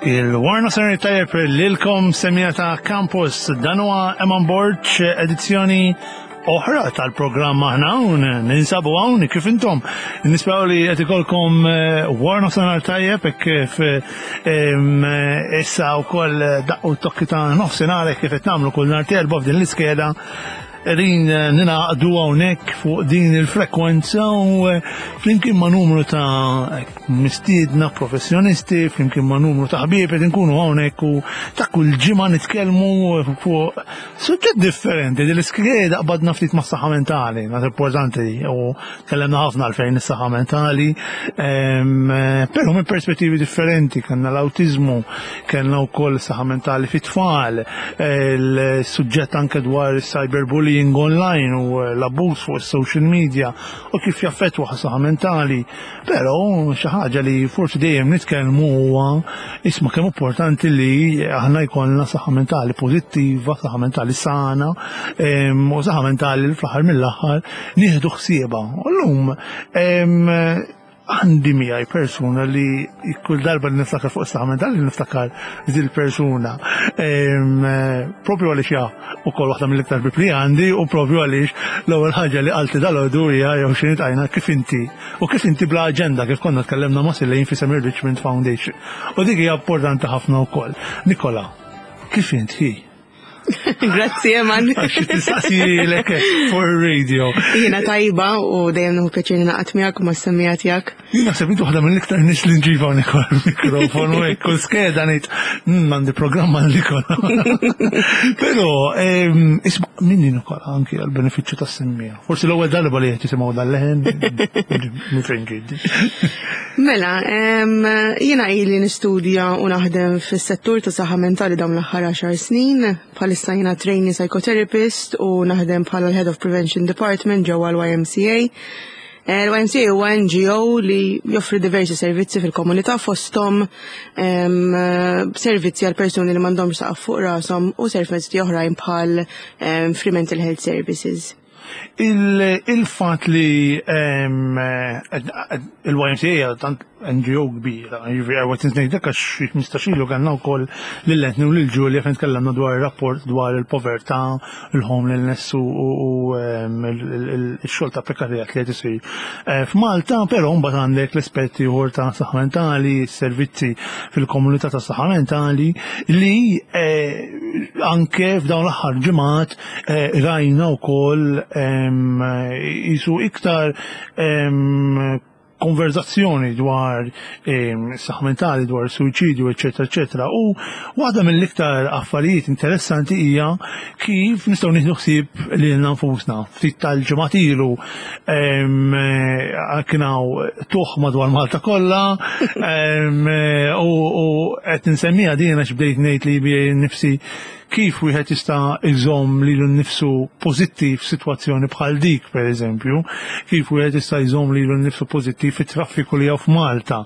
Il-Warna Sena Tajjeb lilkom semija ta' Campus dan huwa Eman Borg edizzjoni oħra tal-programm aħna hawn ninsabu hawn kif intom nisperaw li qed ikolkom eh, warna sanar tajjeb hekk kif eh, issa wkoll daqqu t-tokki ta' nofsinhar hekk kif qed nagħmlu kull nhar terba' f'din l-iskeda Qegħdin eh, ninaqdu hawnhekk fuq din il-frekwenza u eh, flimkien ma' numru ta' mistiedna professjonisti, flimkien ma' numru ta' ħbieb qed inkunu hawnhekk u ta' kull ġimgħa nitkellmu fuq suġġett differenti. Din l-iskeda qbadna ftit ma' saħħa mentali, nas importanti u tkellimna ħafna għalfejn is-saħħa mentali, ehm, però minn perspettivi differenti, kellna l-awtiżmu, kellna wkoll is-saħħa mentali fit-tfal, il-suġġett anke dwar cyberbullying online u l-abbuż fuq is-social media u kif jaffettwa saħħa mentali. Però xi ħaġa li forsi dejjem nitkellmu huwa isma' kemm importanti li aħna jkollna saħħa mentali pożittiva, saħħa mentali sana u saħħa mentali li fl-aħħar mill-aħħar nieħdu ħsiebha. U llum għandi miegħi persuna li kull darba li niftakar fuq is-saħħa mentali niftakar dil persuna. Propju għaliex ja ukoll waħda mill-iktar bib li għandi u propju għaliex l-ewwel ħaġa li qalti dal-għodu hija jew xi tajna kif inti u kif inti bla aġenda kif konna tkellimna ma' Silejn fi Semir Richmond Foundation. U dik hija importanti ħafna wkoll. Nikola, kif int hi? Grazzi, Eman. Għax tistaqsilek for radio. Jiena tajba u dejjem nieħu pjaċir naqgħod miegħek u mas-semmija tiegħek. Jien naħseb inti waħda mill-iktar nies li nġiba Nikola l-mikrofonu hekk u skeda ngħid hmm, għandi programm għal Nikola. Però isma' minni Nikola anki għal benefiċċju tas-semmija. Forsi l-ewwel darba li qed jisimgħu dal-leħen minn fejn ġiedi. Mela, jiena ili nistudja u naħdem fis-settur ta' saħħa mentali dawn l-aħħar 10 snin. Bħalissa jiena trainee psychotherapist u naħdem bħala l-Head of Prevention Department ġewwa l-YMCA. Eh, L-YMCA huwa NGO li joffri diversi servizzi fil-komunità fosthom servizzi għal persuni li m'għandhomx saqaf fuq rashom u servizzi oħrajn bħal free mental health services. Il-fat li il-YMCA tant NGO kbira, jiġifieri għawet ngħidlek għax xi 15 ilu kellna wkoll lil Anthony u lil Julia fejn tkellimna dwar ir-rapport dwar il-povertà, il-homelessness u x-xogħol ta' prekarjat li qed isir eh, f'Malta, però mbagħad għandek l-aspetti ieħor ta' saħħa mentali, servizzi fil-komunità ta' saħħa mentali li eh, anke f'dawn l-aħħar ġimgħat eh, rajna wkoll jisu iktar konverzazzjoni dwar saħħa mentali, dwar suwiċidju, eċetera, eċetera. U waħda mill-iktar affarijiet interessanti hija kif nistgħu nieħdu ħsieb lilna nfusna. Ftit tal-ġimgħat ilu kien hawn tuħ madwar Malta kollha u qed insemmiha din għax bdejt ngħid li nifsi Kif wieħed jista' jżomm lilu nnifsu pożittiv f'sitwazzjoni bħal dik, pereżempju? Kif wieħed jista' jżomm lilu nnifsu pożittiv fit-traffiku li hawn f'Malta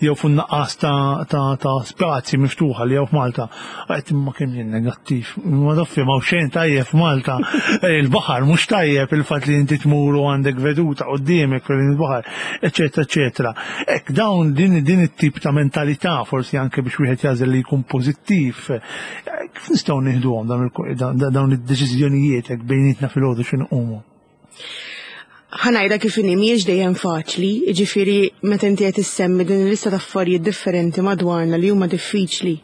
jew fin-nuqqas ta' ta' ta' spazji miftuħa li hawn f'Malta? Għedt imma kemm jien negattiv. Ma tafx m'hawn xejn tajjeb f'Malta. Il-baħar mhux tajjeb, il-fatt li inti tmur u għandek veduta quddiemek fejn il-baħar, eċċetera, eċċetera. Hekk dawn din din it-tip ta' mentalità forsi anke biex wieħed jagħżel li jkun pożittiv Kif nistgħu nieħduhom dawn id-deċiżjonijiet hekk bejnietna filgħodu xi nqumu? Ħanajda kif inhi mhijiex dejjem faċli, jiġifieri meta inti qed issemmi din il-lista ta' affarijiet differenti madwarna li huma diffiċli.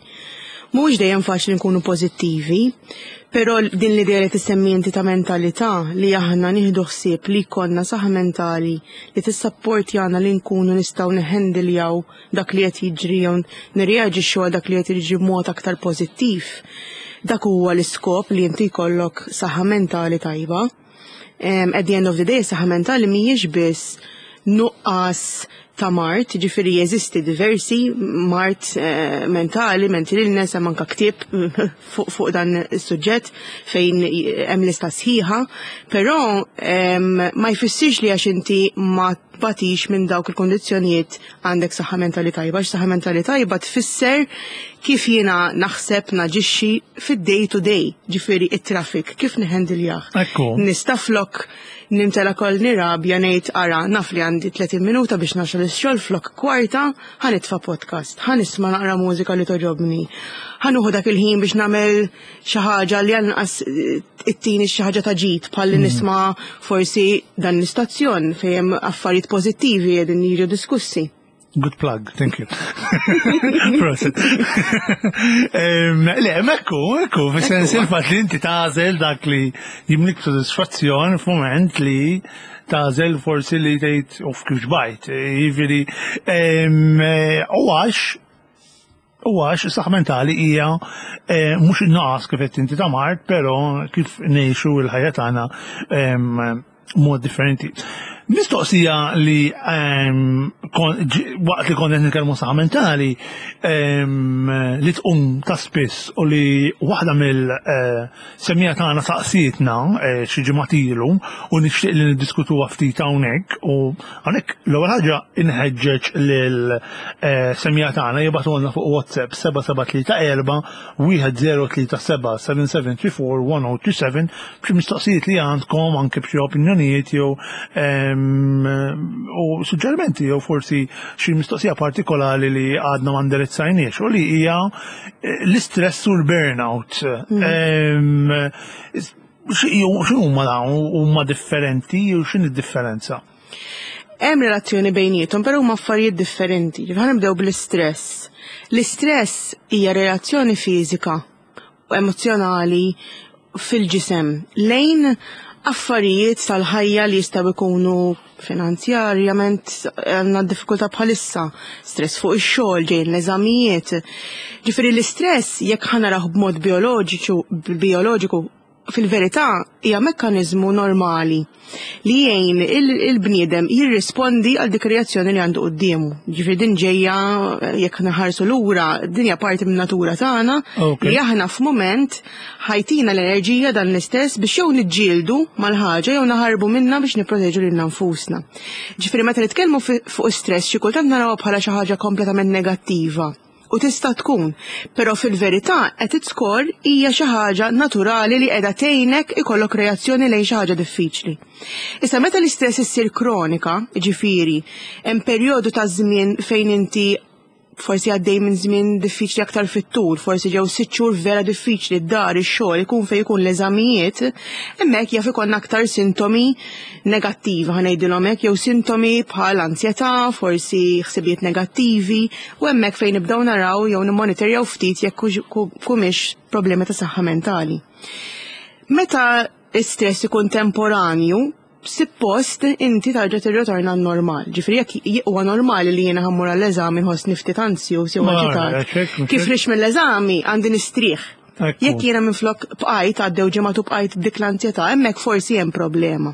Mhuwiex dejjem faċli nkunu pożittivi, però din l-idea li tissemmi inti ta' mentalità li aħna nieħdu ħsieb li jkollna saħħa mentali li tissapportjana li nkunu nistgħu neħendiljaw dak li qed jiġri jew nirreaġixxu għal dak li qed jiġri b'mod aktar pożittiv. Dak huwa l-iskop li inti jkollok saħħa mentali tajba. At the end of the day, saħħa mentali mhijiex biss nuqqas ta' mard, ġifieri jeżisti diversi mard eh, mentali, mental illness, hemm anka ktieb fuq fuq dan is-suġġett fejn hemm lista sħiħa, però ma jfissirx li għax inti ma tbatix minn dawk il-kondizzjonijiet għandek saħħa mentali tajba, għax saħħa mentali tajba tfisser kif jiena naħseb naġixxi fid-day to day, ġifieri it-traffic, kif niħendiljah. Ekku. Nista' flok nimtela kol nirabja ngħid ara naf li għandi 30 minuta biex nasal ix-xogħol flok kwarta ħa nitfa' podcast, ħa nisma' naqra mużika li togħġobni. Ħa nieħu dak il-ħin biex nagħmel xi ħaġa li għall-inqas ittini xi ħaġa ta' ġid bħalli nisma' forsi dan l-istazzjon fejn hemm affarijiet pożittivi qegħdin jiġu diskussi. Good plug, thank you. Prosit. Le, mekku, ekku, fis-sens il-fatt li inti tagħżel dak li jimlik sodisfazzjon f'mument li tagħżel forsi li tgħid uf kif xbajt. Jiġifieri, u għax u għax is-saħħa mentali hija eh, mhux in-naqas kif qed inti ta' mard, però kif ngħixu l-ħajja tagħna mod differenti. Mistoqsija li waqt li konna nitkellmu saħħa mentali li tqum ta' spiss u li waħda mill-semmija eh, tagħna saqsietna eh, xi ġimgħat ilu u nixtieq li niddiskutuha ftit hawnhekk u hawnhekk l-ewwel ħaġa inħeġġeġ lil eh, semmija tagħna jibgħatulna fuq WhatsApp 7734 1037 7734 1027 b'xi mistoqsijiet li għandkom anke b'xi opinjonijiet jew u suġġerimenti jew forsi xi mistoqsija partikolari li għadna ma ndirizzajniex u li hija eh, l-istress u l-burnout. Mm. X'huma dawn huma differenti u x'inhi d-differenza? Hemm relazzjoni bejniethom, però huma affarijiet differenti. Ħa nibdew bl-istress. L-istress hija reazzjoni fiżika u emozzjonali fil-ġisem lejn affarijiet tal-ħajja li jistgħu jkunu finanzjarjament għandna diffikultà bħalissa, stress fuq ix-xogħol, ġejjin l-eżamijiet. Ġifieri l-istress jekk ħa narah b'mod bioloġiċu bioloġiku fil-verità hija mekkaniżmu normali li jgħin il-bniedem jirrispondi għal dik ir-reazzjoni li għandu quddiemu. Ġifieri din ġejja jekk naħarsu lura din hija parti min-natura tagħna li aħna f'mument ħajtina l-enerġija dan l-istess biex jew niġġieldu mal-ħaġa jew naħarbu minnha biex nipproteġu lilna nfusna. Ġifieri meta nitkellmu fuq stress xi kultant narawha bħala xi ħaġa kompletament negattiva. U tista' tkun, però fil-verità at its core hija xi ħaġa naturali li qiegħda tgħinek ikollok reazzjoni lejn xi ħaġa diffiċli. Issa meta l-istress issir kronika, jiġifieri hemm perjodu ta' żmien fejn inti forsi għaddej minn żmien diffiċli aktar fit-tul, forsi ġew sitt xhur vera diffiċli d-dar, ix-xogħol, ikun fejn ikun l-eżamijiet, hemmhekk jaf ikollna aktar sintomi negattivi ħa ngħidilhom hekk jew sintomi bħal ansjetà, forsi ħsibijiet negattivi u hemmhekk fejn nibdew naraw jew nimmonitorjaw ftit jekk humiex problemi ta' saħħa mentali. Meta stress ikun temporanju, suppost inti tarġa' tirritorna għan-normal. Ġifieri jekk huwa normali li jiena ħammur għall-eżami nħossni ftit anzjuż jew aġitat. Kif rix mill-eżami għandi nistrieħ. Jekk jiena minflok bqajt għaddew ġimgħat u bqajt b'dik l-anzjetà, hemmhekk forsi hemm problema.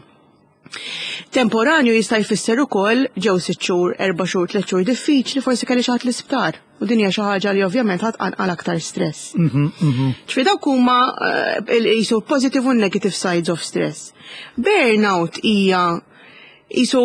Temporanju jista' jfisser ukoll ġew sitt xhur, erba' xhur, tliet xhur diffiċli, forsi kelli xi ħadd l-isptar. U din hija xi ħaġa li ovvjament ħadd qanqal aktar stress. Mhm, mhm. Ġifieri dawk huma eh, jisu positive u negative sides of stress. Burnout hija jisu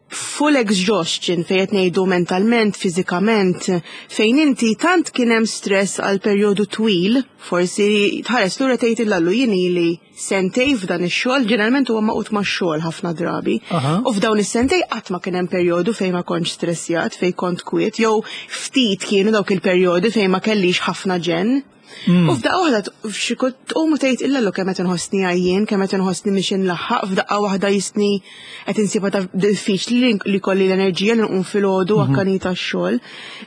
full exhaustion fejn qed ngħidu mentalment, fiżikament, fejn inti tant kien hemm stress għal perjodu twil, forsi tħares lura tgħid illallu jien ili sentej f'dan ix-xogħol, ġeneralment huwa maqut max-xogħol ħafna drabi. U f'dawn is-sentej qatt ma kien hemm perjodu fejn ma kontx stressjat, fejn kont kwiet, jew ftit kienu dawk il-perjodi fejn ma kellix ħafna ġenn. Mm. U f'daqqa waħda tqum u tgħid illa kemm qed inħossni għajjien, kemm qed inħossni mhix inlaħħaq, f'daqqa waħda jisni qed insibha ta' diffiċli li kolli l-enerġija li nqum filgħodu mhm. akkanita x-xogħol.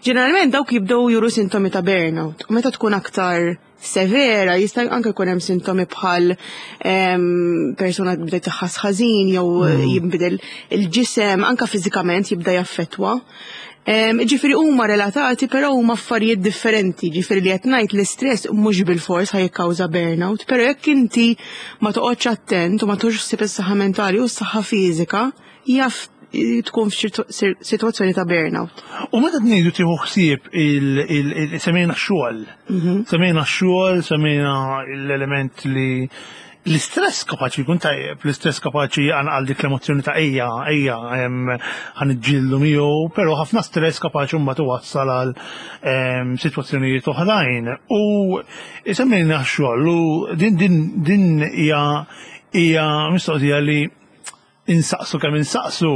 Ġeneralment dawk jibdew juru sintomi ta' burnout. U meta tkun aktar severa jista' anke jkun hemm sintomi bħal ehm, persuna bdiet tħass ħażin jew mm. jinbidel il-ġisem anke fiżikament jibda jaffettwa. Ġifieri huma relatati però huma affarijiet differenti, ġifieri li qed ngħid l-istress mhux bilfors ħa jikkawża burnout, però jekk inti ma toqgħodx attent u ma tux ħsieb is-saħħa mentali u s-saħħa fiżika, jaf tkun f'sitwazzjoni ta' burnout. U meta tnejdu tieħu ħsieb semmejna x-xogħol. Mhm. Semmejna x-xogħol, semmejna l-element li. L-istress kapaċi jkun tajjeb, l-istress kapaċi għal dik l-emozzjoni ta' ejja, ejja, ħa niġġieldu miegħu, però ħafna stress kapaċi mbagħad iwassal għal sitwazzjonijiet oħrajn. U semmejna x-xogħol u din din din hija hija mistoqsija li insaqsu kemm insaqsu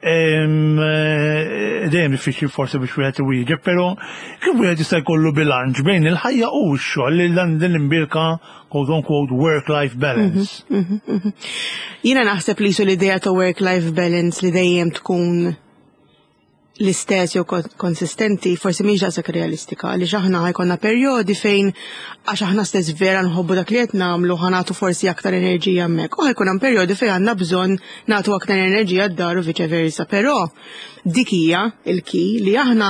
dejjem diffiċli forsi biex wieħed iwieġeb, però kif wieħed jista' jkollu bilanċ bejn il-ħajja u x-xogħol li dan din l-imbirka quote unquote work-life balance. Jiena naħseb li su l-idea ta' work-life balance li dejjem tkun l-istess jew konsistenti forsi mhix daqshekk realistika għaliex aħna ħa jkollna perjodi fejn għax aħna stess vera nħobbu dak li qed nagħmlu ħa nagħtu forsi aktar enerġija hemmhekk. U ħa jkun hemm perjodi fejn għandna bżonn nagħtu aktar enerġija d-dar u viċe versa. Però dik hija il-key li aħna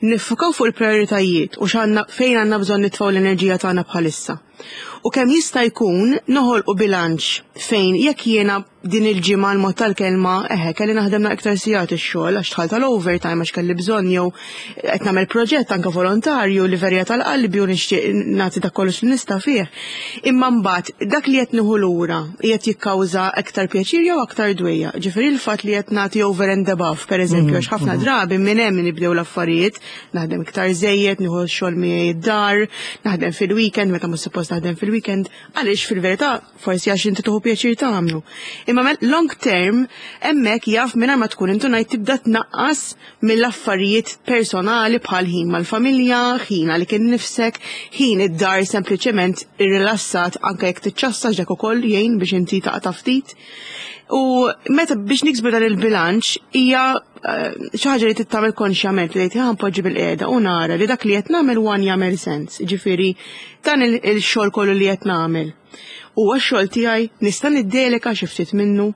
niffukaw fuq il-prioritajiet u x'għandna fejn għandna bżonn nitfgħu l-enerġija tagħna bħalissa. U kemm jista' jkun noħolqu bilanċ fejn jekk jiena din il-ġimgħa l-mod tal-kelma, eħe, kelli naħdem iktar sigħat ix-xogħol għax dħalt tal-overtime għax kelli bżonn jew qed nagħmel proġett anke volontarju li verja tal-qalbi u nixtieq nagħti dak kollox li nista' fih. Imma mbagħad dak li qed nieħu lura qiegħed jikkawża aktar pjaċir jew aktar dwejjaq. Ġifieri l-fatt li qed nagħti over and above, pereżempju, għax ħafna drabi minn hemm nibdew l-affarijiet, naħdem iktar żejjed, nieħu x-xogħol miegħi id-dar, naħdem fil-weekend meta mhux suppost naħdem fil-weekend, għaliex fil-verità forsi għax inti tieħu pjaċir tagħmlu. Imma long term hemmhekk jaf mingħajr ma tkun intunajt tibda tnaqqas mill-affarijiet personali bħal ħin mal-familja, ħin għalik innifsek, ħin id-dar sempliċement irrilassat anke jekk tiċċassa dak ukoll jgħin biex inti taqta' ftit. U meta biex niksbu dan il-bilanċ hija xi ħaġa li tittamel konxjament li tgħid poġġi bil-qiegħda u nara li dak li qed nagħmel one jagħmel sens. Ġifieri dan il-xogħol kollu li qed nagħmel. Huwa x-xogħol tiegħi nista' niddeleka xi ftit minnu.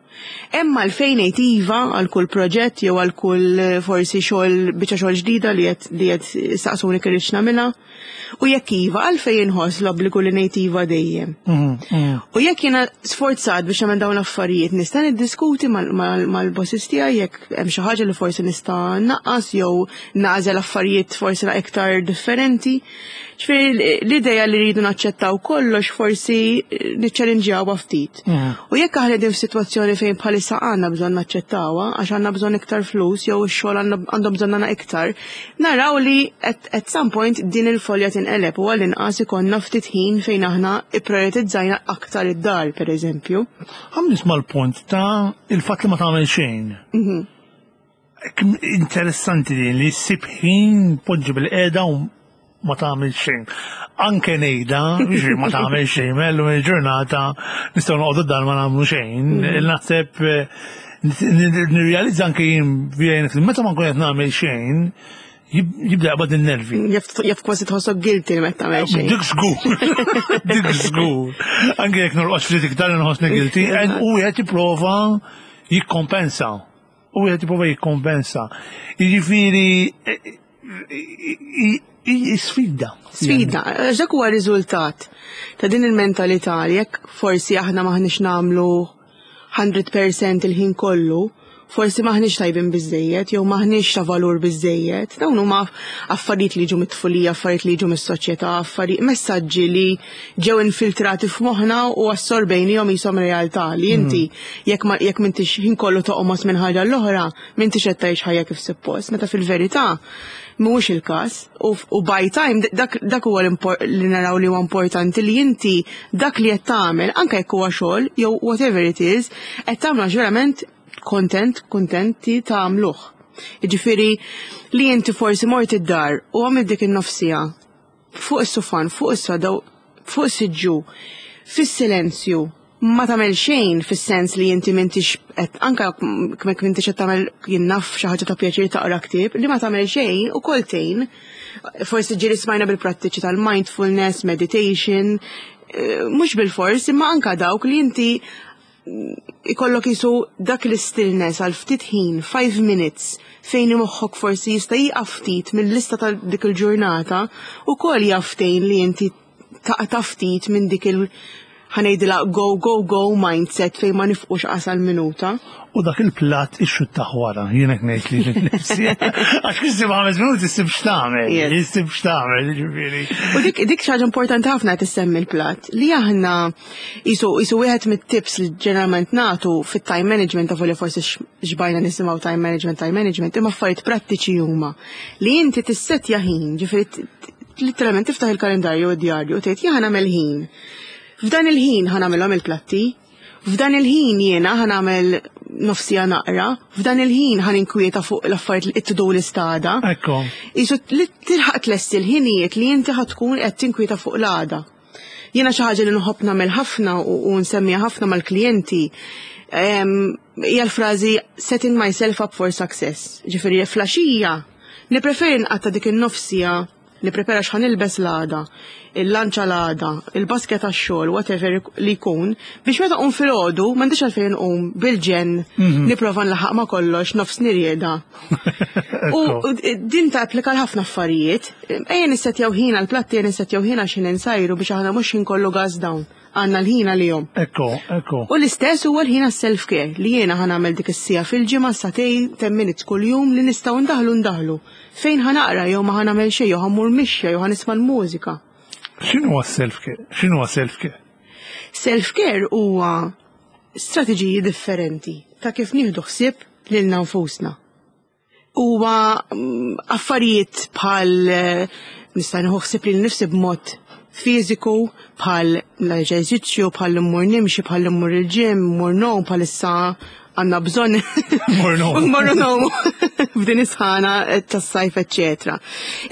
Hemm għalfejn ngħid iva għal kull proġett jew għal kull forsi xogħol biċċa xogħol ġdida li qed li qed saqsuni kirridx nagħmilha. U jekk iva għalfejn inħoss l-obbligu li ngħid iva dejjem. U jekk jiena sforzat biex nagħmel dawn l-affarijiet nista' niddiskuti mal-bosses tiegħi jekk hemm xi ħaġa li forsi nista' naqqas jew nagħżel affarijiet forsi iktar differenti. Ġifieri l-idea li rridu naċċettaw kollox forsi niċċellinġjawha ftit. U jekk aħna qegħdin f'sitwazzjoni fejn bħalissa għandna bżonn naċċettawha għax għandna bżonn iktar flus jew ix-xogħol għandhom bżonn għandna iktar, naraw li at some point din il-folja tinqeleb u għall-inqas ikollna ftit ħin fejn aħna ipprioritizzajna aktar id-dar, pereżempju. Ħa nisma' l-punt ta' il-fatt li ma tagħmel xejn. Interessanti din li ssib ħin poġġi bil-qiegħda u ma tagħmel xejn. Anke ngħidha, jiġri ma tagħmel xejn, mellu il-ġurnata nistgħu noqogħdu dar ma nagħmlu xejn. Naħseb nirrealizza anke jien meta ma nkun qed nagħmel xejn, jibda jaqbad in-nervi. Jaf kważi tħossok guilty meta tagħmel xejn. Dik żgur. Dik żgur. Anke jekk norqod ftit iktar inħossni guilty, u wieħed jipprova jikkompensa. U wieħed jipprova jikkompensa. Jiġifieri sfida. Sfida, għax dak huwa riżultat ta' din il-mentalità li jekk forsi aħna maħniex nagħmlu 100% il-ħin kollu, forsi maħniex tajbin biżejjed jew maħniex ta' valur biżejjed. Dawn huma affarijiet li jiġu mit-tfulija, affarijiet li jiġu mis-soċjetà, affarijiet messaġġi li ġew infiltrati f'moħħna u assorbejnihom qishom realtà li inti jekk ma jekk m'intix ħin kollu toqmos minn ħaġa l-oħra, m'intix qed tgħix ħajja kif suppost. Meta fil-verità mhuwiex il-każ u by time dak huwa li naraw li huwa importanti li inti dak li qed tagħmel anke jekk huwa xogħol jew whatever it is, qed tagħmlu għax verament kontent, kontenti tagħmluh. Jiġifieri li inti forsi mort id-dar u għamilt dik in-nofsija fuq is-sufan, fuq is-soda, fuq is-siġġu, fis-silenzju, ma tagħmel xejn fis-sens li inti m'intix qed anke jekk m'intix qed tagħmel jien naf xi ħaġa ta' pjaċir taqra ktieb, li ma tagħmel xejn ukoll tgħin. Forsi ġieli smajna bil-prattiċi tal-mindfulness, meditation, mhux bil-fors, imma anka dawk li inti ikollok jisu dak l-stillness għal ftit ħin, 5 minutes, fejn moħħok forsi jista' jieqaf ftit mill-lista ta' dik il-ġurnata u kol jaftejn li inti taqta' ftit minn dik il- Ħa ngħidilha go, go, go mindset fejn ma nifqux qasal minuta. U dak il-platt ixxuttah wara, jien hekk ngħid li nifsi. Għax kif issib ħames minuti issib x'tagħmel, issib x'tagħmel, jiġifieri. U dik dik xi ħaġa importanti ħafna qed issemmi l-platt li aħna qisu qisu wieħed mit-tips li ġeneralment nagħtu fit-time management ta' li forsi xbajna nisimgħu time management, time management, imma affarijiet prattiċi huma li inti tissettja ħin, ġifieri literalment tiftaħ il-kalendarju u d-djarju u tgħid jien nagħmel ħin. F'dan il-ħin ħa nagħmilhom il-platti, f'dan il-ħin jiena ħa nagħmel nofsija naqra, f'dan il-ħin ħa ninkwieta fuq l-affarijiet li to-do list għada. Ekku. Isu li tilħaq tlesti l-ħinijiet li inti ħa tkun qed tinkwieta fuq l-għada. Jiena xi ħaġa li nħobb nagħmel ħafna u nsemmiha ħafna mal-klijenti hija l-frażi setting myself up for success. Ġifieri flaxija nippreferi nqatta' dik in-nofsija nipprepara x'ħa nilbes l-għada, il-lanċa l-għada, il-basket għax-xogħol, whatever li jkun, biex meta qum filgħodu m'għandix għalfejn nqum bil-ġenn nipprova nlaħħaq ma' kollox nofs nirjeda. U din ta' applika l-ħafna affarijiet. Ejja nissettjaw ħin għall-platti, ejja nissettjaw ħin għax ħin insajru biex aħna mhux ħin kollu gas down. Għandna l-ħin għalihom. Ekku, ekku. U l-istess huwa l-ħin għas-self-care li jiena ħa nagħmel dik is-siegħa fil-ġimgħa sagħtejn 10 minutes kuljum li nistgħu ndaħlu ndaħlu. Fejn ħa naqra jew ma ħa nagħmel xejn jew ħa mmur mixja jew ħa nisma' l-mużika. X'inhu self-care? X'inhu self-care? Self-care huwa strateġiji differenti ta' kif nieħdu ħsieb lilna nfusna. Huwa affarijiet bħal nista' nieħu ħsieb lil nifsi b'mod fiżiku, bħal l-eżerċizzju, bħal immur nimxi, bħal immur il-gym, immur ngħum, bħalissa għandna bżonn Mmorru ngħumu f'din is-sħana tas-sajf, eċċetera.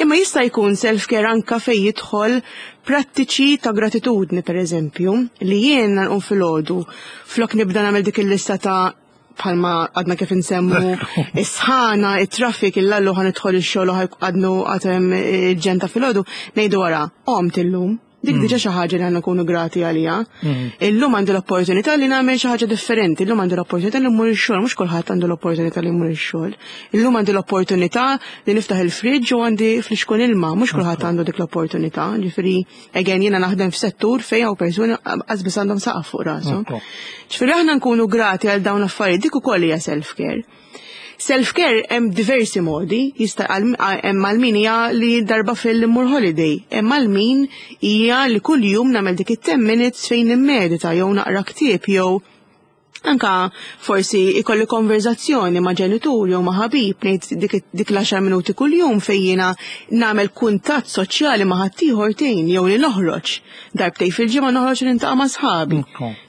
Imma jista' jkun self-care anka fejn jidħol prattiċi ta' gratitudni, per eżempju, li jien nqum filgħodu flok nibda nagħmel dik il-lista ta' bħalma għadna kif insemmu is-sħana, it-traffic, il-lallu ħa nidħol ix-xogħol u għadnu għatem il-ġenn ta' filgħodu, ngħidu wara, qomt illum. Dik diġà xi ħaġa li għandna nkunu grati għaliha. Illum għandi l-opportunità li nagħmel xi ħaġa differenti, illum għandi l-opportunità li mmur ix-xogħol, mhux kulħadd għandu l-opportunità li jmur ix-xogħol. Illum għandi l-opportunità li niftaħ il-fridge u għandi flixkun ilma, mhux kulħadd għandu dik l-opportunità. Ġifieri, again jiena naħdem f'settur fejn hawn persuni qas biss għandhom saqaf fuq rashom. Ġifieri aħna nkunu grati għal dawn l-affarijiet, dik ukoll hija self-care. Self-care hemm diversi modi, jista' hemm għal min hija li darba fil-immur holiday, hemm għal min hija li kuljum nagħmel dik it-10 minutes fejn nimmedita jew naqra ktieb jew anka forsi ikolli konverzazzjoni ma' ġenitur jew ma' ħabib ngħid dik dik l-10 minuti kuljum fejn jiena nagħmel kuntatt soċjali ma' ħaddieħor tgħin jew li noħroġ. Darbtej fil-ġimgħa noħroġ niltaqa' ma' sħabi.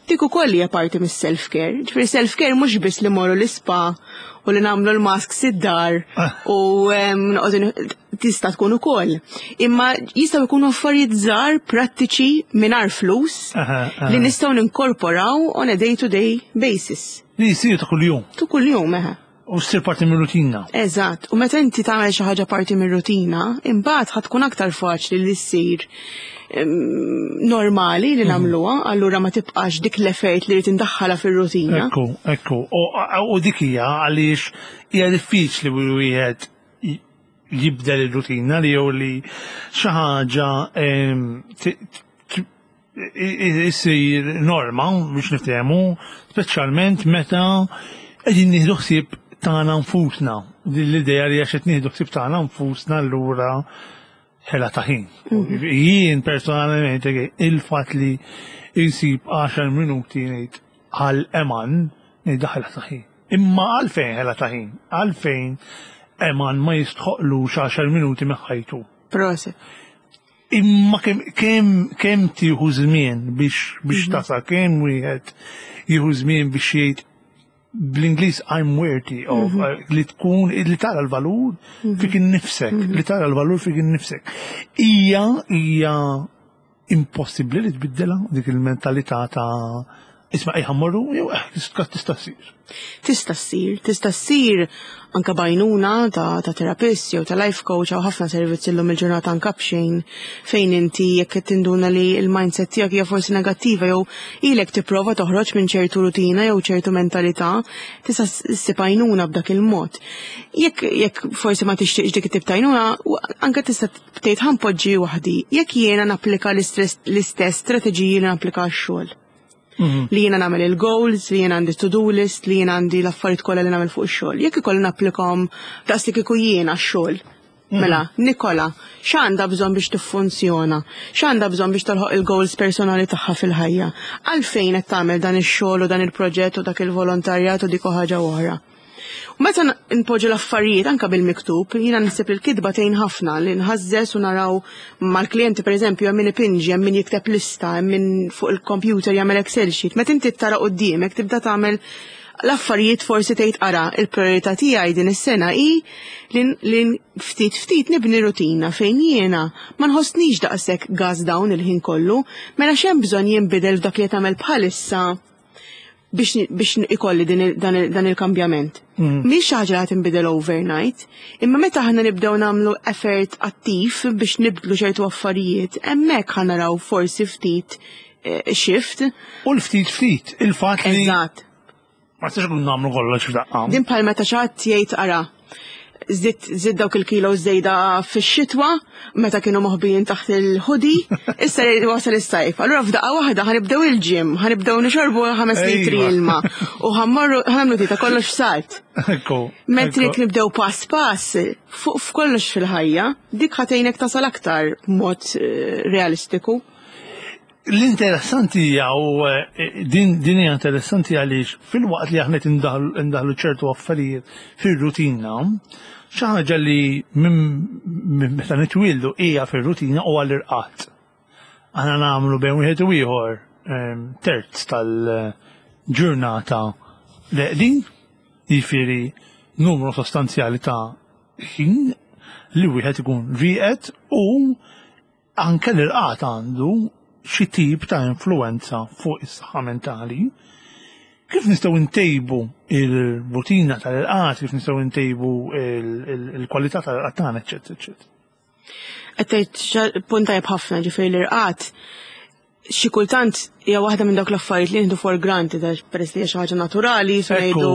Dik ukoll hija parti mis-self-care. Ġifieri self-care mhux biss li morru l-ispa u li nagħmlu l-masks id-dar u noqogħdu tista' tkun ukoll. Imma jistgħu jkunu affarijiet żgħar prattiċi mingħajr flus li nistgħu ninkorporaw on a day-to-day basis. Li jisiru ta' kuljum. Ta' kuljum, eħe. U ssir parti mir-rutina. Eżatt, u meta inti tagħmel xi ħaġa parti mir-rutina, imbagħad ħa tkun aktar faċli li ssir normali li nagħmluha, allura ma tibqax dik l-effort li rrid indaħħalha fir-rutina. Ekku, ekku. U dik hija għaliex hija diffiċli wieħed jibdel ir-rutina li jew li xi ħaġa issir norma biex niftehmu, speċjalment meta qegħdin nieħdu ħsieb tagħna nfusna. Din l-idea li għax qed nieħdu ħsieb tagħna nfusna allura ħela ta' ħin. Jien personalment il-fatt li insib 10 minuti ngħid għal Eman ngħid ħela ta' ħin. Imma għalfejn ħela ta' ħin? Għalfejn Eman ma jistħoqlux 10 minuti minn ħajtu. Proset. Imma kemm tieħu żmien biex tasal, kemm wieħed jieħu żmien biex jgħid bl-Ingliż "I'm worthy of", li tkun li tara l-valur fik innifsek, li tara l-valur fik innifsek. Hija impossibbli li tbiddilha dik il-mentalità ta' isma' ejja mmorru jew tista' ssir? Tista' ssir, tista' ssir anka b'għajnuna ta' terapist jew ta' life coach hawn ħafna servizzi llum il-ġurnata anka b'xejn fejn inti jekk qed tinduna li l-mindset tiegħek hija forsi negattiva jew ilek tipprova toħroġ minn ċertu rutina jew ċertu mentalità, tista' ssib għajnuna b'dak il-mod. Jekk forsi ma tixtieqx dik it-tip ta' għajnuna, anke tista' tgħid ħa npoġġi waħdi. Jekk jiena napplika l-istess strateġiji li napplika għax-xogħol. Li jiena nagħmel il-goals, li jiena għandi to-do list, li jiena għandi l-affarijiet kollha li nagħmel fuq ix-xogħol. Jekk ikolli napplikhom daqs li kieku jiena x-xogħol. Mela, Nikola, x'għandha bżonn biex tiffunzjona? X'għandha bżonn biex tolħoq il-goals personali tagħha fil-ħajja? Għalfejn qed tagħmel dan ix-xogħol u dan il-proġett u dak il-volontarjat u dik ħaġa oħra? U meta npoġġu l-affarijiet anka bil-miktub, jiena naħseb li l-kitba tgħin ħafna li nħażżes u naraw mal-klijenti, pereżempju, hemm min ipinġi, hemm min jikteb lista, hemm min fuq il-computer jagħmel Excel sheet. Meta inti tara quddiemek tibda tagħmel l-affarijiet, forsi tgħid, "Ara, il-priorità tiegħi din is-sena hi li ftit ftit nibni rutina fejn jiena ma nħossnix daqshekk gas down il-ħin kollu, mela x'hemm bżonn jinbidel f'dak li qed tagħmel bħalissa biex ikolli dan il-kambjament?" Mhix xi ħaġa li tinbidel overnight, imma meta aħna nibdew nagħmlu effort attiv biex nibdlu ċertu affarijiet, hemmhekk ħa naraw forsi ftit shift. U l-ftit ftit, il-fatt li ma tistax kun nagħmlu kollox f'daqqa. Din bħal meta xi ħadd jgħid, "Ara, żid dawk il-kilo żejda fix-xitwa meta kienu moħbijin taħt il-hoodie, issa wasal is-sajf. Allura f'daqqa waħda ħa nibdew il-gym, ħa nibdew nixorbu 5 litri ilma u ħa mmorru ħa nagħmlu tita kollox f'salt." Mentri jekk nibdew pass pass fuq f'kollox fil-ħajja, dik ħa tgħinek tasal aktar b'mod realistiku. L-interessanti hija u din hija interessanti għaliex fil-waqt li aħna indaħlu ċertu affarijiet fir-rutina, xi ħaġa li minn meta nitwieldu hija fir-rutina huwa l-irqad. Aħna nagħmlu bejn wieħed u ieħor terz tal-ġurnata reqdin, jiġifieri numru sostanzjali ta' ħin li wieħed ikun rieqed, u anke l-irqad għandu xi tip ta' influenza fuq is-saħħa mentali. Kif nistgħu ntejbu il-rutina tal-irqad, kif nistgħu ntejbu il-kwalità tal-irqad tagħna, eċċetera, eċċetera? Qed tgħid punt tajjeb ħafna, ġifieri l-irqad xi kultant hija waħda minn dawk l-affarijiet li nieħdu for granted għax peress li hija xi ħaġa naturali, so ngħidu.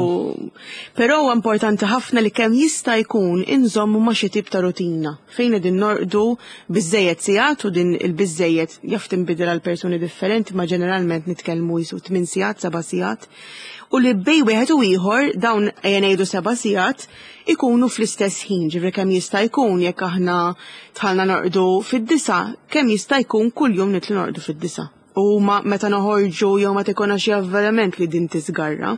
Però huwa importanti ħafna li kemm jista' jkun inżommu ma' xi tip ta' rutina fejn qegħdin norqdu biżejjed sigħat, u din il-biżejjed jaf tinbidel għal persuni differenti, ma ġeneralment nitkellmu jisu 8 sigħat, 7 sigħat. U li bejn wieħed u ieħor dawn, ejja ngħidu, 7 sigħat ikunu fl-istess ħin, ġifieri kemm jista' jkun jekk aħna dħalna norqdu fid-9, kemm jista' jkun kuljum nidħlu norqdu fid-9. U ma meta noħorġu jew ma tikona xi avveniment li din tisgarra.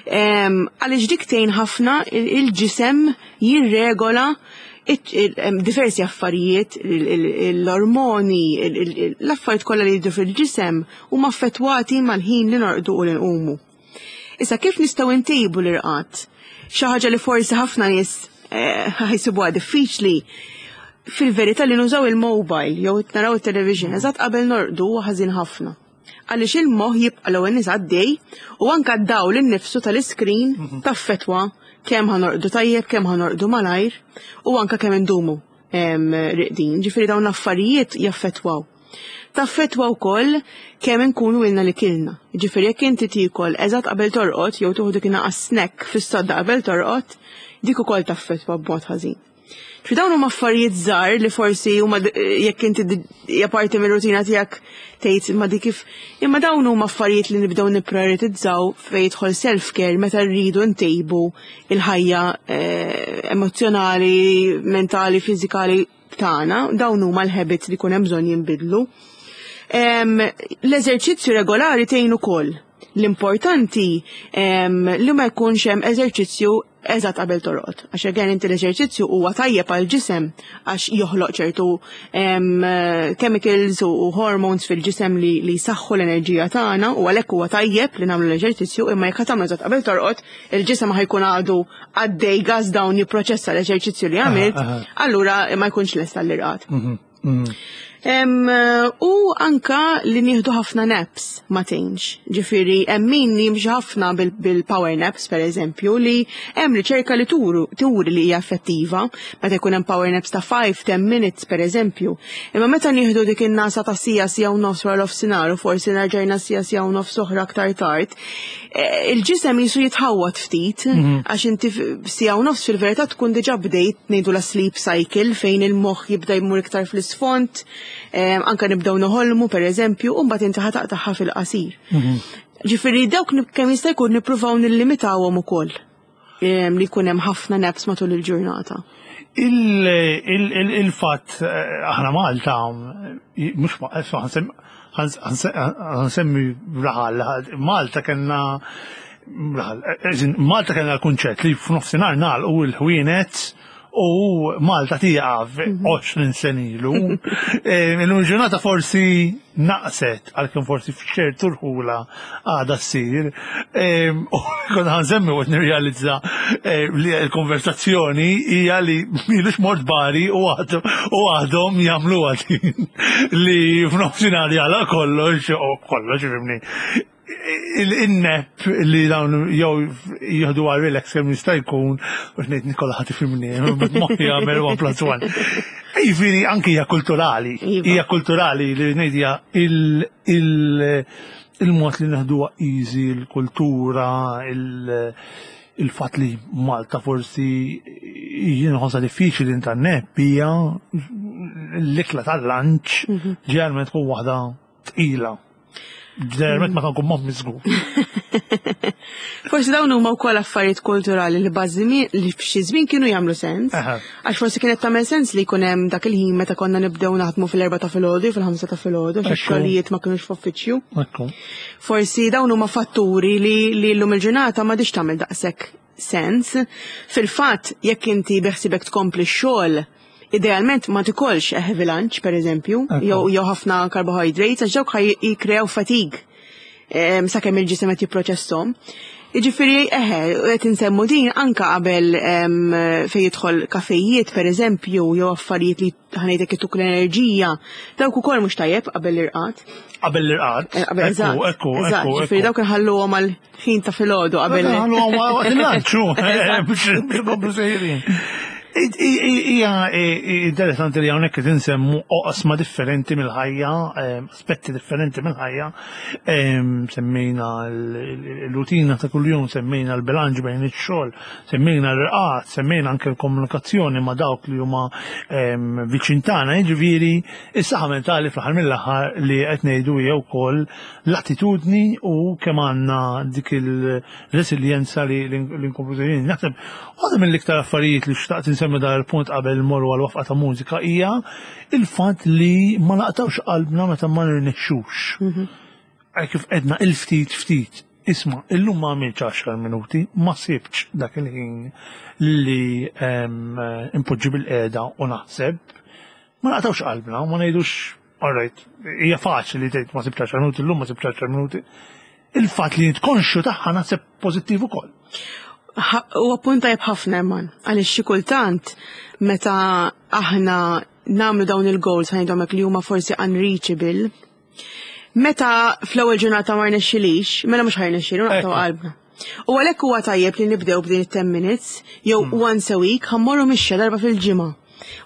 Għaliex dik tgħin ħafna il-ġisem jirregola diversi affarijiet, l-ormoni, l-affarijiet kollha li jidru fil-ġisem huma affettwati mal-ħin li norqdu u li nqumu. Issa, kif nistgħu ntejbu l-irqad? Xi ħaġa li forsi ħafna nies ħa jsibuha diffiċli fil-verità, li nużaw il-mobile jew naraw il-television eżatt qabel norqdu huwa ħażin ħafna. Għaliex il-moħħ jibqa' l-ewwel nies għaddej u anka d-dawl innifsu tal-iskrin taffetwa kemm ħa norqdu tajjeb, kemm ħa norqdu malajr u anka kemm indumu riqdin. Ġifieri dawn l-affarijiet jaffettwaw. Taffetwa wkoll kemm inkunu ilna li kilna. Ġifieri jekk inti tiekol eżatt qabel torqod jew tieħu dik naqas snack fis-sodda qabel torqod, dik ukoll taffetwa b'mod ħażin. Ġifieri dawn huma affarijiet żgħar li forsi huma jekk inti hija parti mir-rutina tiegħek tgħid, "Ma dik kif?" Imma dawn huma affarijiet li nibdew nipprioritizzaw fejn jidħol self-care meta rridu ntejbu il-ħajja emozjonali, mentali, fiżikali tagħna, dawn huma l-habits li jkun hemm bżonn jinbidlu. L-eżerċizzju regolari tgħin ukoll. L-importanti li ma jkunx hemm eżerċizzju eżatt qabel torqod. Għax again, inti l-eżerċizzju huwa tajjeb għal ġisem għax joħloq ċertu chemicals u hormones fil-ġisem li jsaħħu l-enerġija tagħna u għalhekk huwa tajjeb li nagħmlu l-eżerċizzju, imma jekk tagħmlu eżatt qabel torqod, il-ġisem ħa jkun għadu għaddej gas down jipproċessa l-eżerċizzju li għamilt, allura ma jkunx lest għall-irqad. U anka li nieħdu ħafna naps ma tgħinx. Ġifieri hemm min jimxi ħafna bil-power naps, per eżempju, li hemm riċerka li turi li hija effettiva meta jkun hemm power naps ta' 5-10 minutes, per eżempju. Imma meta nieħdu dik in-nasa ta' sija, sija u nofs wara nofsinhar u forsi nerġajna sija, sija u nofs oħra aktar tard, il-ġisem jisu jitħawat ftit, għax inti sija u nofs fil-verità tkun diġà bdejt ngħidu la sleep cycle fejn il-moħħ jibda jmur iktar fl-isfond, anka nibdew noħolmu, per eżempju, u mbagħad inti ħa taqtagħha fil qasir. Ġifieri dawk kemm jista' jkun nippruvaw nillimitawhom ukoll li jkun hemm ħafna naps matul il-ġurnata. Il-fatt aħna Malta mhux ħansemmi raħal, Malta kellna raħal, Malta kellna l-kunċett li f'nofsinhar nagħlqu l-ħwienet u Malta tieqaf 20 sena ilu. Illum il-ġurnata forsi naqset għalkemm forsi f'ċertu rħula għadha ssir. U kont ħa nsemmi u nirrealizza li l-konversazzjoni hija li m'ilux mort Bari u għadhom jagħmluha din li f'nofsinhar jagħlaq kollox u kollox ifhimni. Il-nap li dawn jew jieħdu għal relax kemm jista' jkun, u ngħid Nikola ħadd ifhimni, moħħi jagħmel 1 plus 1. Jiġifieri anke hija kulturali, hija kulturali li ngħid hija il-mod li neħduha easy, il-kultura, il-fatt li Malta forsi jien nħossha diffiċli inta nap hija l-ikla tal-lunch ġeneralment tkun waħda tqila. Ġeneralment ma nkun moħħ miżgur. Forsi dawn huma wkoll affarijiet kulturali li bażimi li f'xi żmien kienu jagħmlu sens. Għax forsi kienet tagħmel sens li jkun hemm dak il-ħin meta konna nibdew naħdmu fil-4 ta' filgħodu fil-5 ta' filgħodu għax xogħlijiet ma kinux f'uffiċċju. Forsi dawn huma fatturi li li llum il-ġurnata m'għadix tagħmel daqshekk sens. Fil-fatt, jekk inti beħsibek tkompli x-xogħol, idealment ma tikolx a heavy lunch, per eżempju, jew ħafna carbohydrates, għax dawk jikkreaw fatigue sakemm il-ġisem qed jipproċesshom. Jiġifieri eħe, qed insemmu din anka qabel fejn jidħol kafejiet per eżempju, jew affarijiet li ħa ngħidlek ituk l-enerġija, dawk ukoll mhux tajjeb qabel l-irqad. Qabel l-irqad? Qabel, eżatt. Ekku, ekku, Ġifieri dawk inħalluhom għal ħin ta' filgħodu qabel. Inħalluhom waqt il-lanċ, biex ikomplu sejrin. Hija interessanti li hawnhekk qed insemmu oqsma differenti mill-ħajja, aspetti differenti mill-ħajja. Semmejna l-rutina ta' kuljum, semmejna l-bilanċ bejn ix-xogħol, semmejna l-irqad, semmejna anke l-komunikazzjoni ma' dawk li huma viċin tagħna, jiġifieri is-saħħa mentali fl-aħħar mill-aħħar li qed ngħidu hija wkoll l-attitudni u kemm għandna dik il-resiljenza li nkomplu sejrin. Naħseb waħda mill-iktar affarijiet li xtaqt insemmi dan il-punt qabel mmorru għal waqfa ta' mużika hija il-fatt li ma naqtawx qalbna meta ma nirnexxux. Kif edna il-ftit ftit. Isma', illum ma għamiltx 10 minuti, ma sibtx dak il-ħin li impoġġi bil-qiegħda u naħseb. Ma naqtawx qalbna, ma ngħidux, all right, hija faċli li tgħid ma sibtx 10 minuti, illum ma sibtx 10 minuti. Il-fatt li int konxju tagħha naħseb pożittiv ukoll. Huwa punt tajjeb ħafna, Eman, għaliex xi kultant meta aħna nagħmlu dawn il-goals ħa ngħidhom hekk li huma forsi unreachable, meta fl-ewwel ġurnata ma rnexxilix, mela mhux ħa jirnexxilu naqtgħu qalbna. U għalhekk huwa tajjeb li nibdew b'din it-10 minutes jew once a week ħa mmorru mixja darba fil-ġimgħa.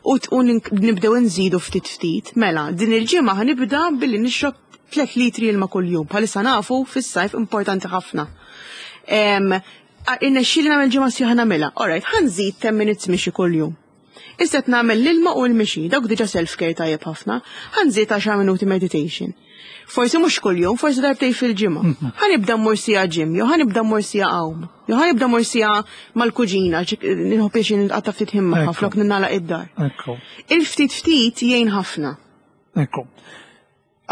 U nibdew nżidu ftit ftit. Mela, din il-ġimgħa ħa nibda billi nixrob 3 litri ilma kuljum. Bħalissa nafu fis-sajf importanti ħafna. Irnexxieli nagħmel ġimgħa sħiħa nagħmilha. Alright, ħa nżid 10 minutes mixi kuljum. Issa qed nagħmel l-ilma u l-mixi, dawk diġà self-care tajjeb ħafna. Ħa nżid 10 minuti meditation. Forsi mhux kuljum, forsi darbtejn fil-ġimgħa. Ħa nibda mmur siegħa gym, jew ħa nibda mmur siegħa għawm, jew ħa nibda mmur siegħa mal-kuġina, nieħu pjaċir nitqatta' ftit ħin magħha flok ningħalaq id-dar. Il-ftit ftit jgħin ħafna. Ekku.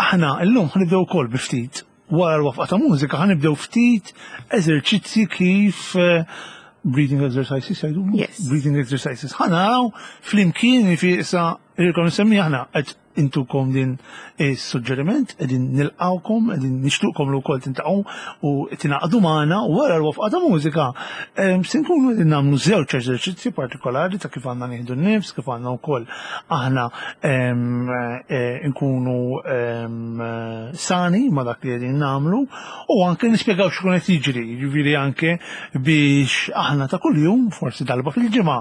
Aħna llum ħa nibdew ukoll bi ftit. Wara l-waqfa ta' mużika ħa nibdew ftit eżerċizzi kif breathing exercises jgħidu? Yes. Breathing exercises. Ħa naraw flimkien fi issa irkom nsemmi aħna qed intukom din is-suġġeriment, qegħdin nilqawkom, qegħdin nixtuqkom li wkoll tintaqgħu u tingħaqdu magħna wara l-waqfa ta' mużika. Se nkunu qegħdin nagħmlu żewġ eżerċizzji partikolari ta' kif għandna nieħdu n-nifs, kif għandna wkoll aħna nkunu sani ma' dak li qegħdin nagħmlu u anke nispjegaw x'ikun qed jiġri, jiġifieri anke biex aħna ta' kuljum, forsi darba fil-ġimgħa,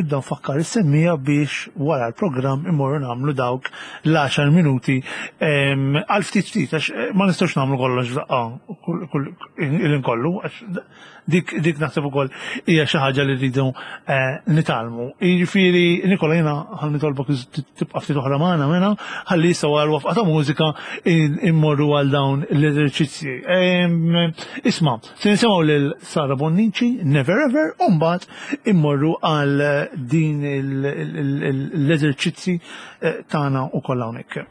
nibda nfakkar is-semmija biex wara l-programm immorru nagħmlu dawk l-10 minuti għal ftit ftit, għax ma nistgħux nagħmlu kollox f'daqqa il-inkollu, għax Dik, dik naħseb ukoll hija xi ħaġa li rridu eh, nitgħallmu. Jiġifieri Nikola jiena ħa nitolbok tibqa' ftit oħra magħna mela ħalli issa wara l-wafqa ta' mużika immorru għal dawn l-eżerċizzji. Isma' se nisimgħu lil Sara Bonnici, Never Ever, u mbagħad immorru għal din l-eżerċizzji eh, tagħna ukoll hawnhekk.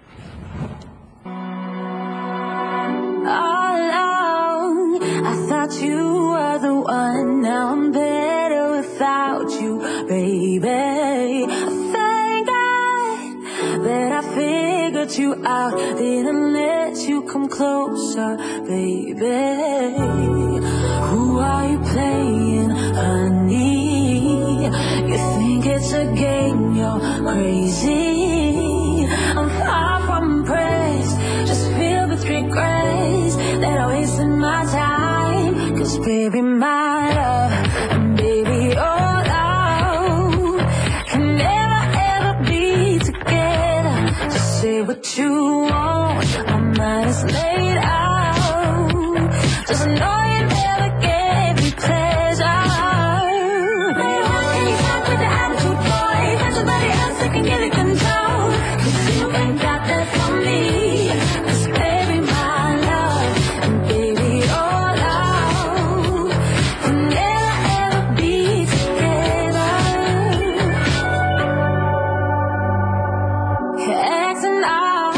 All along, I thought you were the one. Now I'm better without you, baby. Thank God that I figured you out. Didn't let you come closer, baby. Who are you playing, honey? You think it's a game, you're crazy. I'm far from impressed, just filled with regrets that I wasted my time. Cause baby, my love, and baby, your love can never ever be together. Just say what you want, my mind is made out. Just know you never gave me pleasure. Baby, how can you talk with the attitude, boy? Find somebody else that can give you control. 'Cause you ain't got that from me. 'Cause baby, my love, and baby, your love can never ever be together. You're acting out,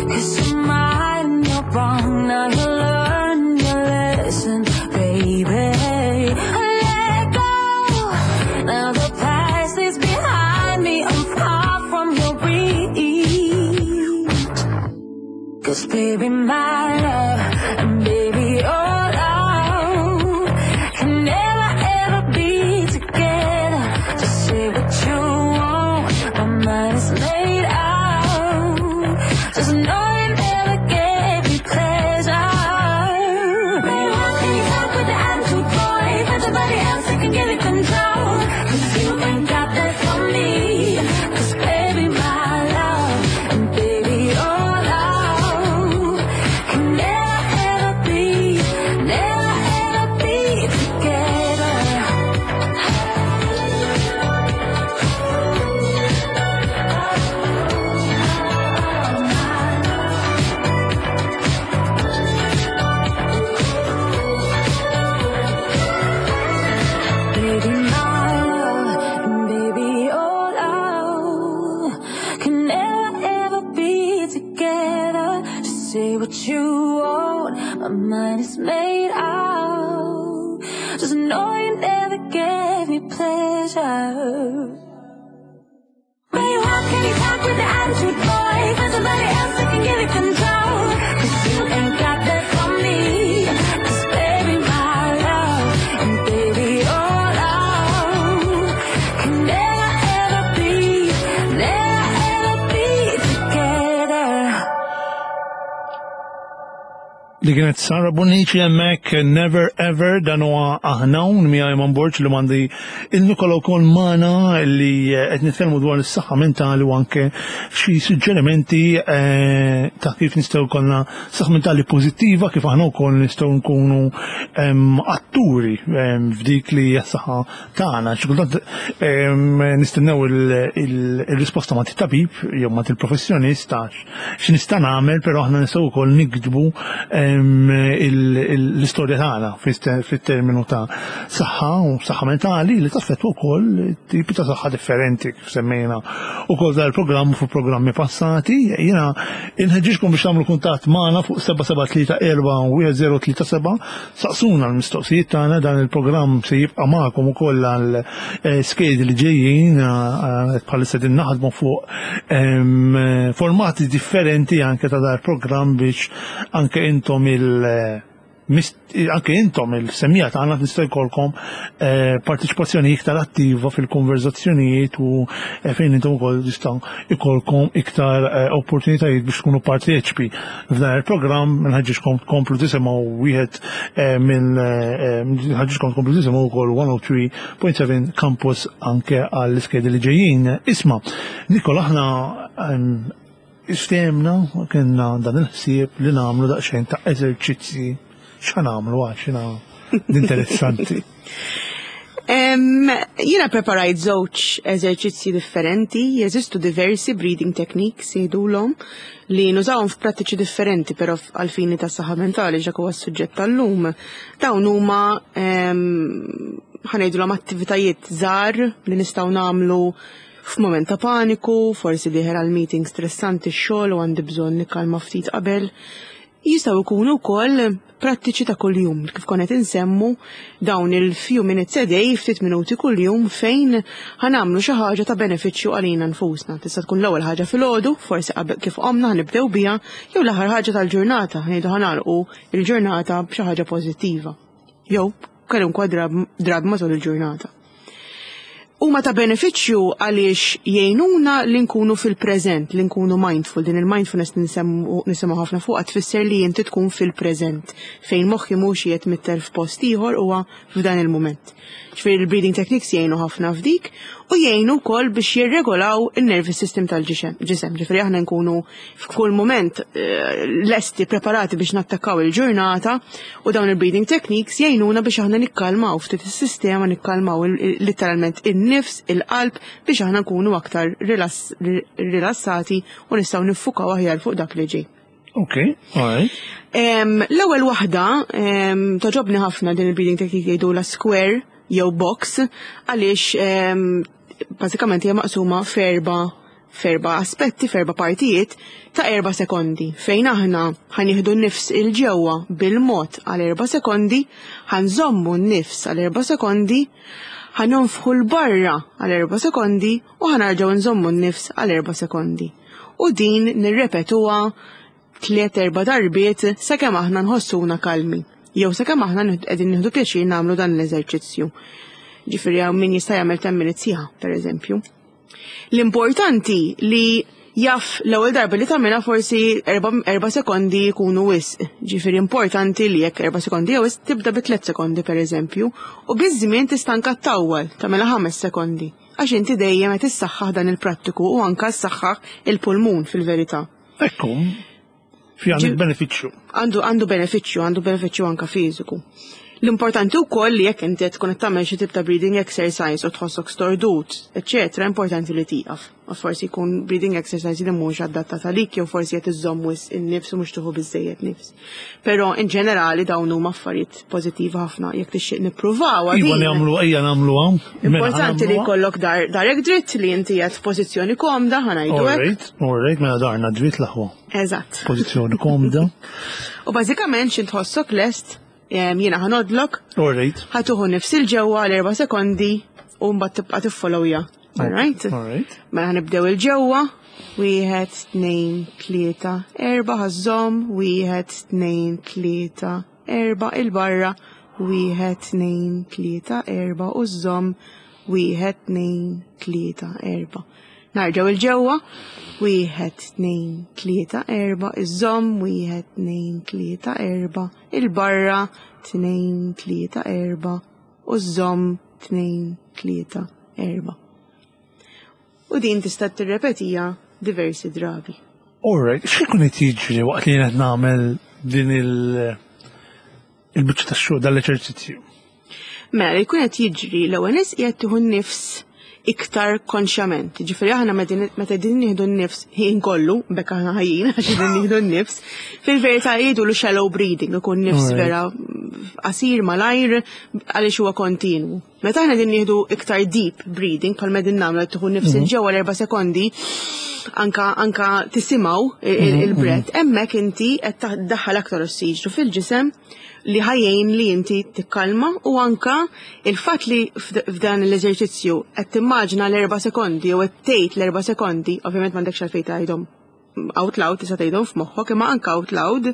'cause you're mine and you're wrong. Now you learn your lesson, baby. Let go. Now the past is behind me. I'm far from your reach. 'Cause baby, my love, and baby, your love can never ever be together. Just say what you want, my mind is made out. Just know you never gave me pleasure. Baby, how can you talk with the attitude, boy? Find somebody else that can give you control. 'Cause you ain't got that from me. 'Cause baby, my love, and baby, your love can never ever be, never ever be together. Baby, my love, and baby, your love can never ever be together. Just say what you want, my mind is made out. Just know you never gave me pleasure. Baby, how can you talk with the attitude, boy? Find somebody else that can give you control. 'Cause you ain't got that from me. 'Cause baby, my love, and baby, your love can never ever be, never ever be together. Li kienet Sara Bonnici hemmhekk Never Ever dan huwa aħna hawn miegħi Eman Borg li m'għandi il-Nikola wkoll magħna li qed nitkellmu dwar is-saħħa mentali u anke xi suġġerimenti eh, ta' kif nistgħu jkollna saħħa mentali pożittiva kif aħna wkoll nistgħu nkunu atturi f'dik li hija s-saħħa tagħna. Xi kultant nistennew il-risposta ma' tabib jew ma' il-professjonist għax x'nista' nagħmel, però aħna nistgħu wkoll niktbu l-istorja tagħna fit-terminu ta' saħħa u saħħa mentali li taffettwa wkoll tipi ta' saħħa differenti kif semmejna ukoll dan il-programm fuq programmi passati. Jiena inħeġġiġkom biex tagħmlu kuntatt magħna fuq 773 1037 saqsuna l-mistoqsijiet tagħna dan il-programm se jibqa' magħkom ukoll għal eh, skedi li ġejjin eh, bħalissa din naħdmu fuq formati differenti anke ta' dar programm biex anke intom il- anke intom il-semmiegħa tagħna tista' jkollkom eh, partiċipazzjoni iktar attiva fil-konverzazzjonijiet u eh, fejn intom ukoll tistgħu jkollkom iktar eh, opportunitajiet biex tkunu parteċipi f'dan il-programm nħeġġiġkom tkomplu tisimgħu wieħed minn nħeġġiġkom tkomplu tisimgħu wkoll 103.7 Campus anke għall-iskedi li ġejjin. Isma' Nikola aħna Istemna kienna dan il-ħsieb li nagħmlu daqsxejn ta' eżerċizzi x'ħa nagħmlu għax jiena Interessanti. Jiena preparajt żewġ eżerċizzji differenti, jeżistu diversi breathing techniques jgħidulhom li nużawhom f'prattiċi differenti, però għal-fini ta' saħħa mentali ġak huwa s-suġġett tal-lum. Dawn huma ħa ngħidulhom attivitajiet żgħar li nistgħu nagħmlu f'mument ta' paniku, forsi dieħel għal meeting stressanti x-xogħol u għandi bżonn nikkalma ftit qabel. Jistgħu jkunu wkoll prattiċi ta' kuljum, kif konna qed insemmu dawn il-few minutes a day, ftit minuti kuljum fejn ħa nagħmlu xi ħaġa ta' benefiċċju għalina nfusna. Tista' tkun l-ewwel ħaġa filgħodu, forsi qabel kif qomna ħa nibdew biha, jew l-aħħar ħaġa tal-ġurnata, ngħidu ħa nagħlqu il-ġurnata b'xi ħaġa pożittiva. Jew kwalunkwe drabi matul il-ġurnata. Huma ta' benefiċċju għaliex jgħinuna li nkunu fil-preżent, li nkunu mindful. Din il-mindfulness nisimgħu ħafna fuqha tfisser li inti tkun fil-preżent, fejn moħħi mhux qiegħed mitter f'post ieħor huwa f'dan il-mument. Ġifieri il-breathing techniques jgħinu ħafna f'dik u jgħinu wkoll biex jirregolaw il-nervous system tal-ġisem. Ġifieri aħna nkunu f'kull mument lesti preparati biex nattakkaw il-ġurnata u dawn il-breathing techniques jgħinuna biex aħna nikkalmaw ftit is-sistema, nikkalmaw literalment in-nifs, il-qalb biex aħna nkunu aktar rilassati u nistgħu niffukaw aħjar fuq dak li ġej. Ok, alright. L-ewwel waħda togħġobni ħafna din il-breathing technique jgħidu la square jew box għaliex bażikament hija maqsuma f'erba' aspetti, f'erba' partijiet ta' 4 sekondi fejn aħna ħa nieħdu nifs il-ġewwa bil-mod għal 4 sekondi, ħa nżommu n-nifs għal 4 sekondi, ħa nonfħu l-barra għal 4 sekondi u ħa nerġgħu nżommu n-nifs għal 4 sekondi. U din nirrepetuha tliet erba' darbiet sakemm aħna nħossuna kalmi. Jew sakemm aħna qegħdin nieħdu pjaċir nagħmlu dan l-eżerċizzju. Ġifieri hawn min jista' jagħmel 10 minutes sħaħ, pereżempju. L-importanti li jaf l-ewwel darba li tagħmilha forsi 4 sekondi jkunu wisq. Ġifieri importanti li jekk 4 sekondi jew wisq tibda bi 3 sekondi pereżempju, u biż-żmien tista' anke ttawwal tagħmilha 5 sekondi. Għax inti dejjem qed issaħħaħ dan il-prattiku u anke ssaħħaħ il-pulmun fil-verità. Ekku, fi għandek benefiċċju. Għandu benefiċċju, għandu benefiċċju anka fiżiku. L-importanti wkoll li jekk inti qed tkun qed tagħmel xi tip ta' breathing exercise u tħossok stordut, eċċetera, importanti li tieqaf. U forsi jkun breathing exercise li mhux adattat għalik jew forsi qed iżżomm wisq in-nifs u mhux tieħu biżejjed nifs. Però in ġenerali dawn huma affarijiet pożittivi ħafna jekk tixtieq nippruvaw. Iva nagħmlu, ejja nagħmlu hawn. Mela, Importanti li jkollok darek dritt li inti qed f'pożizzjoni komda ħa ngħidu hekk. Alright, mela darna dritt l-aħwa. Eżatt. Pożizzjoni komda. U bażikament xi tħossok lest, jiena ħa ngħoddlok, ħa tieħu nifs il-ġewwa għal 4 sekondi u mbagħad tibqa' tiffollowja. Alright? Alright. Mela ħa nibdew il-ġewwa. Wieħed, tnejn, tlieta, erba' ħa żżomm, wieħed, tnejn, tlieta, erba' il-barra, wieħed, tnejn, tlieta, erba' u żżomm, wieħed, tnejn, tlieta, erba'. Nerġgħu il-ġewwa, wieħed, tnejn, tlieta, erba', iżżomm, wieħed, tnejn, tlieta, erba', il-barra, tnejn, tlieta, erba', u żżomm, tnejn, tlieta, erba'. U din tista' tirrepetija diversi drabi. Alright, x'ikun qed jiġri waqt li qed nagħmel din il-biċċa tax-xogħol dal-eċerċizzju? Mela, li jkun qed jiġri l-ewwel nies qiegħed tieħu n-nifs iktar konxjament. Ġifieri aħna meta din nieħdu n-nifs ħin kollu, bekk aħna ħajjin għax din nieħdu n-nifs, fil-verità jgħidu lu shallow breathing, ikun nifs vera qasir malajr għaliex huwa kontinwu. Meta aħna din nieħdu iktar deep breathing, bħal din nagħmlu tieħu nifs il-ġewwa l-4 sekondi, anka tisimgħu il-breath, hemmhekk inti qed tdaħħal aktar ossiġnu fil-ġisem li ħa jgħin li inti tikkalma u anka il-fatt li f'dan l-eżerċizzju qed timmaġina l-4 sekondi jew qed tgħid l-4 sekondi, ovvjament m'għandekx għalfejn tgħidhom out loud, tista' tgħidhom f'moħħok imma anka out loud,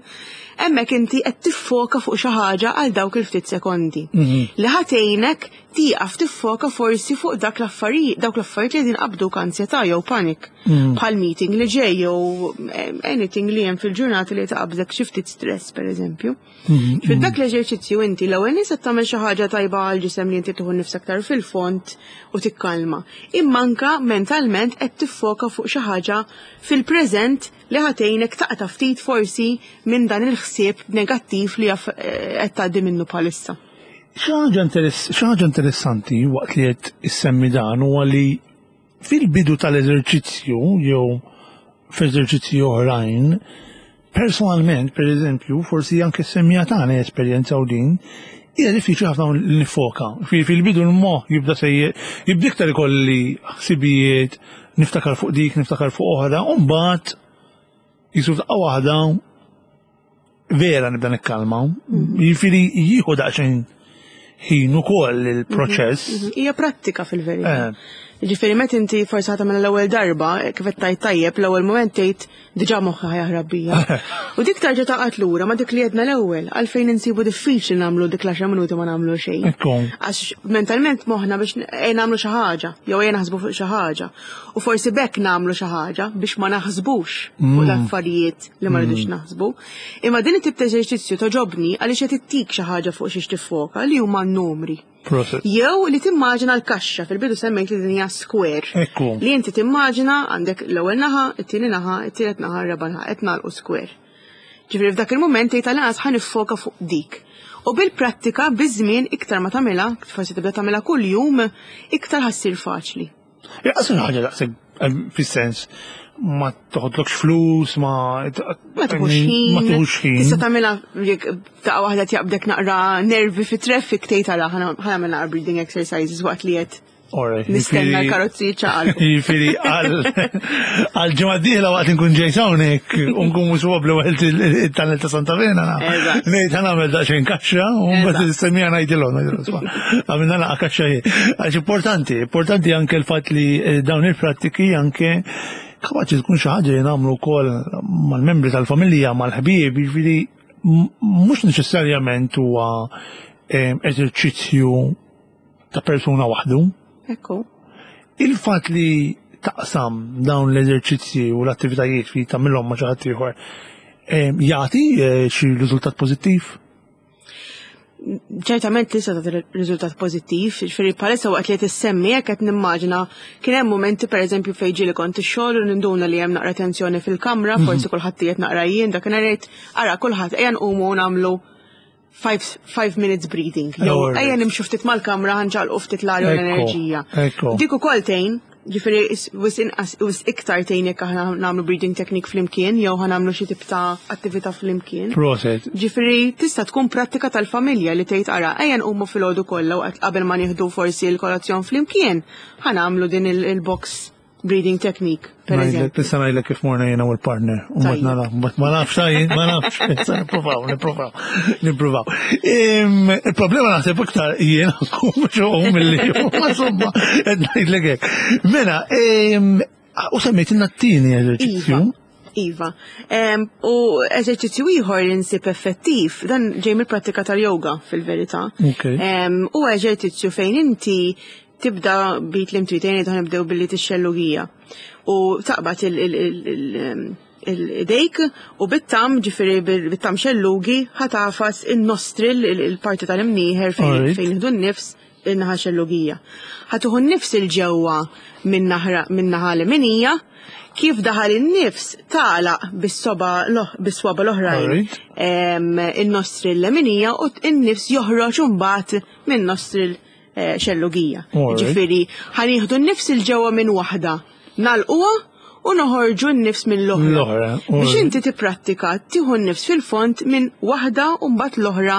hemmhekk inti qed tiffoka fuq xi ħaġa għal dawk il-ftit sekondi. Li ħa tgħinek tieqaf tiffoka forsi fuq dak l-affarijiet, dawk l-affarijiet li qegħdin qabduk ansjetà jew panik. Bħal meeting li ġej jew anything li hemm fil-ġurnata li taqbżek xi ftit stress pereżempju. Fil dak l-eżerċizzju inti l-ewwel nies qed tagħmel xi ħaġa tajba għal ġisem li inti tieħu nifs aktar fil-fond u tikkalma. Imma anka mentalment qed tiffoka fuq xi ħaġa fil-preżent li ħa tgħinek taqta' ftit forsi minn dan il-ħsieb negattiv li jaf qed tgħaddi minnu bħalissa. Xi ħaġa interessanti waqt li qed issemmi dan huwa li fil-bidu tal-eżerċizzju jew f'eżerċizzji oħrajn, personalment, per eżempju, forsi anke semmija tagħna esperjenza u din, hija diffiċli ħafna li nifoka. Fil-bidu l-moħħ jibda sejjer, jibda iktar ikolli ħsibijiet, niftakar fuq dik, niftakar fuq oħra, u mbagħad jisu f'daqqa waħda vera nibda nikkalma. Jiġifieri jieħu daqsxejn ħin ukoll il-proċess. Hija prattika fil-verità. Ġifieri meta inti forsi ħa tagħmel l-ewwel darba, kif qed tgħid tajjeb, l-ewwel mument tgħid diġà moħħi ħa jaħrab bija. U dik tarġa' taqgħod lura ma dik li għedna l-ewwel, għalfejn insibu diffiċli nagħmlu dik l-10 minuti ma nagħmlu xejn. Għax mentalment moħħna biex ejja nagħmlu xi ħaġa, jew ejja naħsbu fuq xi ħaġa. U forsi b'hekk nagħmlu xi ħaġa biex ma naħsbux fuq l-affarijiet li ma rridux naħsbu. Imma din it-tip ta' eżerċizzju togħġobni għaliex qed ittik xi ħaġa fuq xiex tiffoka li huma n-numri. Jew li timmaġina l-kaxxa, fil-bidu semmejt li din hija square. Li inti timmaġina għandek l-ewwel naħa, it-tieni naħa, it-tielet naħa, ir-raba' naħa, qed nagħlqu square. Ġifieri f'dak il-mument tgħid għal-inqas ħa niffoka fuq dik. U bil-prattika, biż-żmien, iktar ma tagħmilha, forsi tibda tagħmilha kuljum, iktar ħa ssir faċli. Jaqas ħaġa daqshekk fis-sens ma toħodlokx flus, ma Ma tieħux ħin. Ma tieħux ħin. Tista' tagħmilha jekk daqqa waħda tjaqbdek naqra nervi fi traffic tgħid ara ħa nagħmel naqra breathing exercises waqt li qed nistenna l-karozzi ċaqalqu. Jiġifieri għal ġimgħa dieħla waqt nkun ġejt hawnhekk u nkun mhux wobbli waqt it-tunnel ta' Santa Vena. Ngħid ħa nagħmel daqsxejn kaxxa u mbagħad is-semmija ngħidilhom ngħidilhom. Għamilna naqa' kaxxa hi. Għax importanti, importanti anke l-fatt li dawn il-prattiki anke kapaċi tkun xi ħaġa li nagħmlu wkoll mal-membri tal-familja, mal-ħbieb, jiġifieri mhux neċessarjament huwa eżerċizzju ta' persuna waħdu. Il-fatt li taqsam dawn l-eżerċizzji u l-attivitajiet li tagħmilhom ma' xi ħadd ieħor jagħti xi riżultat pożittiv? Ċertament tista' tagħti riżultat pożittiv, ġifieri bħalissa waqt li qed issemmi hekk qed nimmaġina kien hemm mumenti pereżempju fejn ġieli kont ix-xogħol u ninduna li hemm naqra tensjoni fil-kamra, forsi kulħadd qiegħed naqra jien dakinhar ngħid ara kulħadd ejja nqumu u nagħmlu 5 minutes breathing. Jew ejja nimxu ftit mal-kamra ħa nċaqalqu ftit l-arja u l-enerġija. Dik ukoll tgħin, ġifieri wis inqas wis iktar tgħin jekk aħna nagħmlu breathing technique flimkien jew ħa nagħmlu xi tip ta' attività flimkien. Proset. Ġifieri tista' tkun prattika tal-familja li tgħid ara ejja nqumu filgħodu kollha waqt qabel ma nieħdu forsi l-kolazzjon flimkien, ħa nagħmlu din il-box breathing technique, per eżempju. Tista' ngħidlek kif morna jiena u l-partner. U mbagħad nara, mbagħad ma nafx jien, ma nafx. Issa nippruvaw, nippruvaw, nippruvaw. Il-problema naħseb iktar jiena nkun mhux milli insomma, qed ngħidlek hekk. Mela, u semmejtilna t-tieni eżerċizzju. Iva. U eżerċizzju ieħor li nsib effettiv, dan ġej mill-prattika tal-yoga fil-verità. U eżerċizzju fejn inti tibda bit li mtrid jgħid nibdew billi tixxellugija. U taqbad il-dejk u bit-thumb, ġifieri bit-thumb xellugi, ħa tagħfas il-nostril, il-parti tal-imnieħer fejn nieħdu n-nifs, in-naħa xellugija. Ħa tieħu n-nifs 'il ġewwa minn naħa l-minija, kif daħal in-nifs tagħlaq bis-soba bis-swaba l-oħrajn in-nostril l-leminija u n-nifs joħroġ imbagħad minn nostril xellugija. Ġifieri ħa nieħdu n-nifs 'il ġewwa minn waħda, nagħlquha u noħorġu n-nifs mill-oħra. Biex inti tipprattika tieħu n-nifs fil-fond minn waħda u mbagħad l-oħra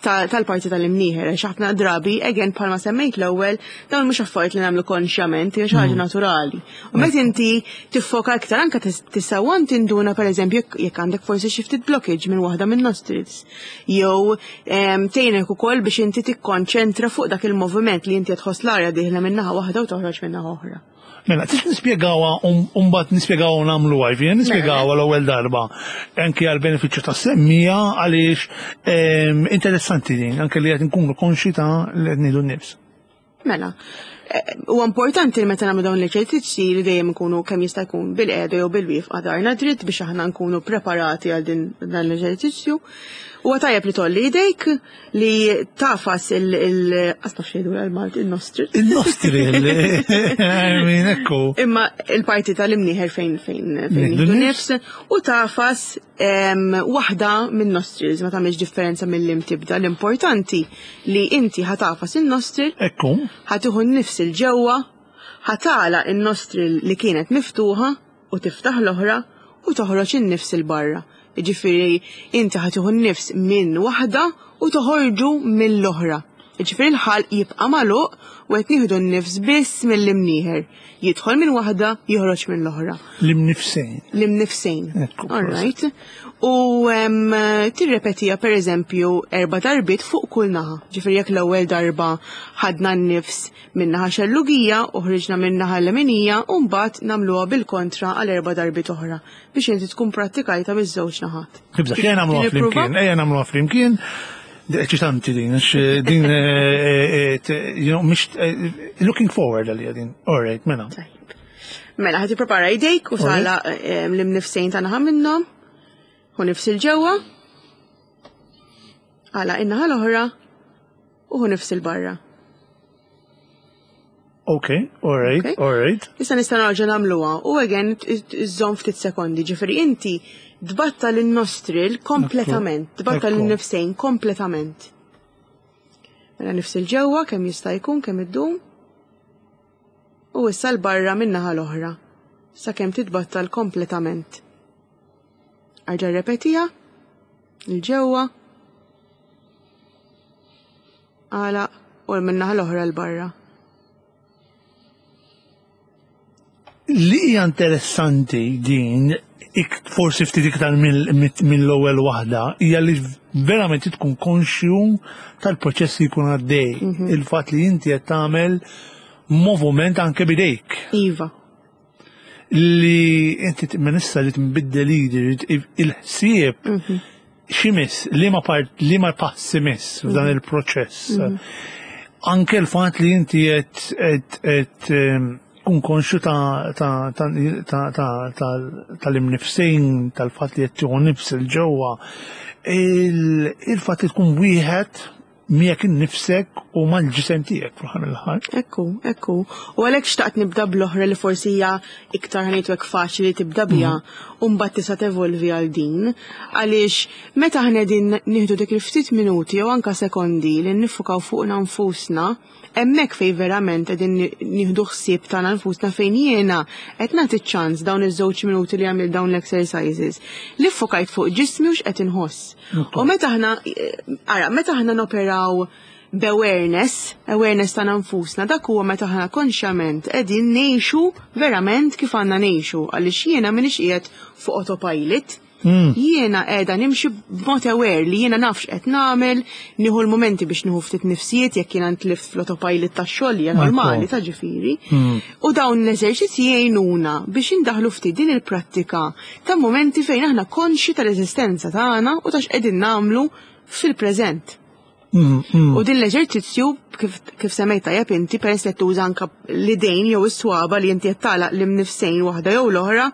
tal-parti tal-imnieħer. Għax ħafna drabi, again bħalma semmejt l-ewwel, dawn mhux affarijiet li nagħmlu konxjament, hija xi ħaġa naturali. U meta inti tiffoka iktar anke tista' tinduna pereżempju jekk għandek forsi xi ftit blockage minn waħda minn nostrils. Jew tgħinek ukoll biex inti tikkonċentra fuq dak il-moviment li inti tħoss l-arja dieħla minn naħa waħda u toħroġ minn naħa oħra. Mela, tix nispjegawha u mbagħad nispjegawha u nagħmluha, jiġifieri nispjegawha l-ewwel darba anke għal benefiċċju tas-semmija għaliex interessanti din, anke li qed nkunu konxi ta' li qed nieħdu n-nifs. Mela, Huwa importanti li meta nagħmlu dawn l-eċerċizzji li dejjem ikunu kemm jista' jkun bil-qiegħda jew bil-wieqfa darna dritt biex aħna nkunu preparati għal din dan l-eżerċizzju. Huwa tajjeb li tolli idejk li tafas il qas xejdu għal-Malti il-nostril. Il-nostril, I mean, ekku. Imma il-parti tal-imnieħer fejn fejn fejn nifs u tafas waħda minn nostrils ma tagħmilx differenza mill-lim tibda. L-importanti li inti ħatafas in-nostril. Ekku. Ħatiħu n-nifs il-ġewwa, ħatala in-nostril li kienet miftuħa u tiftaħ l-oħra u toħroġ in-nifs il-barra. Jiġifieri inti ħa tieħu n-nifs minn waħda u toħorġu mill-oħra. Jiġifieri l-ħalq jibqa' magħluq u qed nieħdu n-nifs biss mill-imnieħer. Jidħol minn waħda, joħroġ mill-oħra. L-imnifsejn. L-imnifsejn. All right. U tirrepetija per eżempju erba' darbiet fuq kull naħa. Ġifieri jekk l-ewwel darba ħadna n-nifs min-naħa xellugija u ħriġna min-naħa leminija u mbagħad nagħmluha bil-kontra għal erba' darbiet oħra. Biex inti tkun prattikajta miż-żewġ naħat. Nibda, ejja nagħmluha flimkien, ejja nagħmluha flimkien. Eċitanti din, għax eh, din, eh, eh, you know, mhix looking forward għalija din. All right, mela. Mela, ħati prepara idejk u sala l-imnifsejn ta' naħa minnhom. U nifs il-ġewwa. Għala in-naħa l-oħra u nifs il-barra. Ok, all right, okay. all right. Issa nista' nerġa' nagħmluha u again iżżomm ftit sekondi, ġifieri inti tbattal in-nostril kompletament, tbattal in-nifsejn kompletament. Mela nifs il-ġewwa kemm jista' jkun kemm iddum. U issa l-barra min-naħa l-oħra sakemm titbattal kompletament. Arġa' repetiha il-ġewwa Għalaq u min-naħa l-oħra 'l barra. Li hija interessanti din, forsi ftit iktar mill-ewwel waħda, hija li verament tkun konxju tal-proċess li jkun għaddej. Mhm. Il-fatt li inti qed tagħmel moviment anke bidejk. Iva. Li inti minn issa li tbiddel idi, il-ħsieb mhm. ximis, li ma part, li ma passi miss f'dan mhm. il-proċess. Mhm. Anke l-fatt li inti qed ehm, kun konxu tal-imnifsejn, tal-fatt li qed tieħu nifs il-ġewwa, il-fatt li tkun wieħed miegħek innifsek u mal-ġisem tiegħek fl-aħħar mill-aħħar. Ekku, ekku. U għalhekk xtaqt nibda bl-oħra li forsi hija iktar ħanejtu hekk faċli li tibda biha mhm. u mbagħad tista' tevolvi għal din. Għaliex meta aħna qegħdin nieħdu dik il-ftit minuti jew anka sekondi li niffukaw fuqna nfusna, hemmhekk fejn verament qegħdin nieħdu ħsieb tagħna nfusna fejn jiena qed nagħti ċans dawn iż-żewġ minuti li għamil dawn l-exercises li ffokajt fuq ġismi u x'qed inħoss. U meta aħna, ara, meta aħna noperaw b'awareness, awareness ta' nfusna, dak huwa meta aħna konxjament qegħdin ngħixu verament kif għandna ngħixu, għaliex jiena m'iniex qiegħed fuq autopilot. Mm. Jiena qiegħda nimxi b'mod aware li jiena nafx qed nagħmel, nieħu l-mumenti biex nieħu ftit nifsijiet jekk jiena ntlift fl-autopilot tax-xogħol hija normali ta' ġifieri. Mm. U dawn l-eżerċizzji jgħinuna biex indaħlu ftit din il-prattika ta' mumenti fejn aħna konxji tal-eżistenza tagħna u ta' x'qegħdin nagħmlu fil-preżent. Mm, mm. U din l-eżerċizzju kif, kif semmejt tajjeb inti peress li tuża anka l-idejn jew is-swaba li inti qed tagħlaq l-imnifsejn waħda jew l-oħra,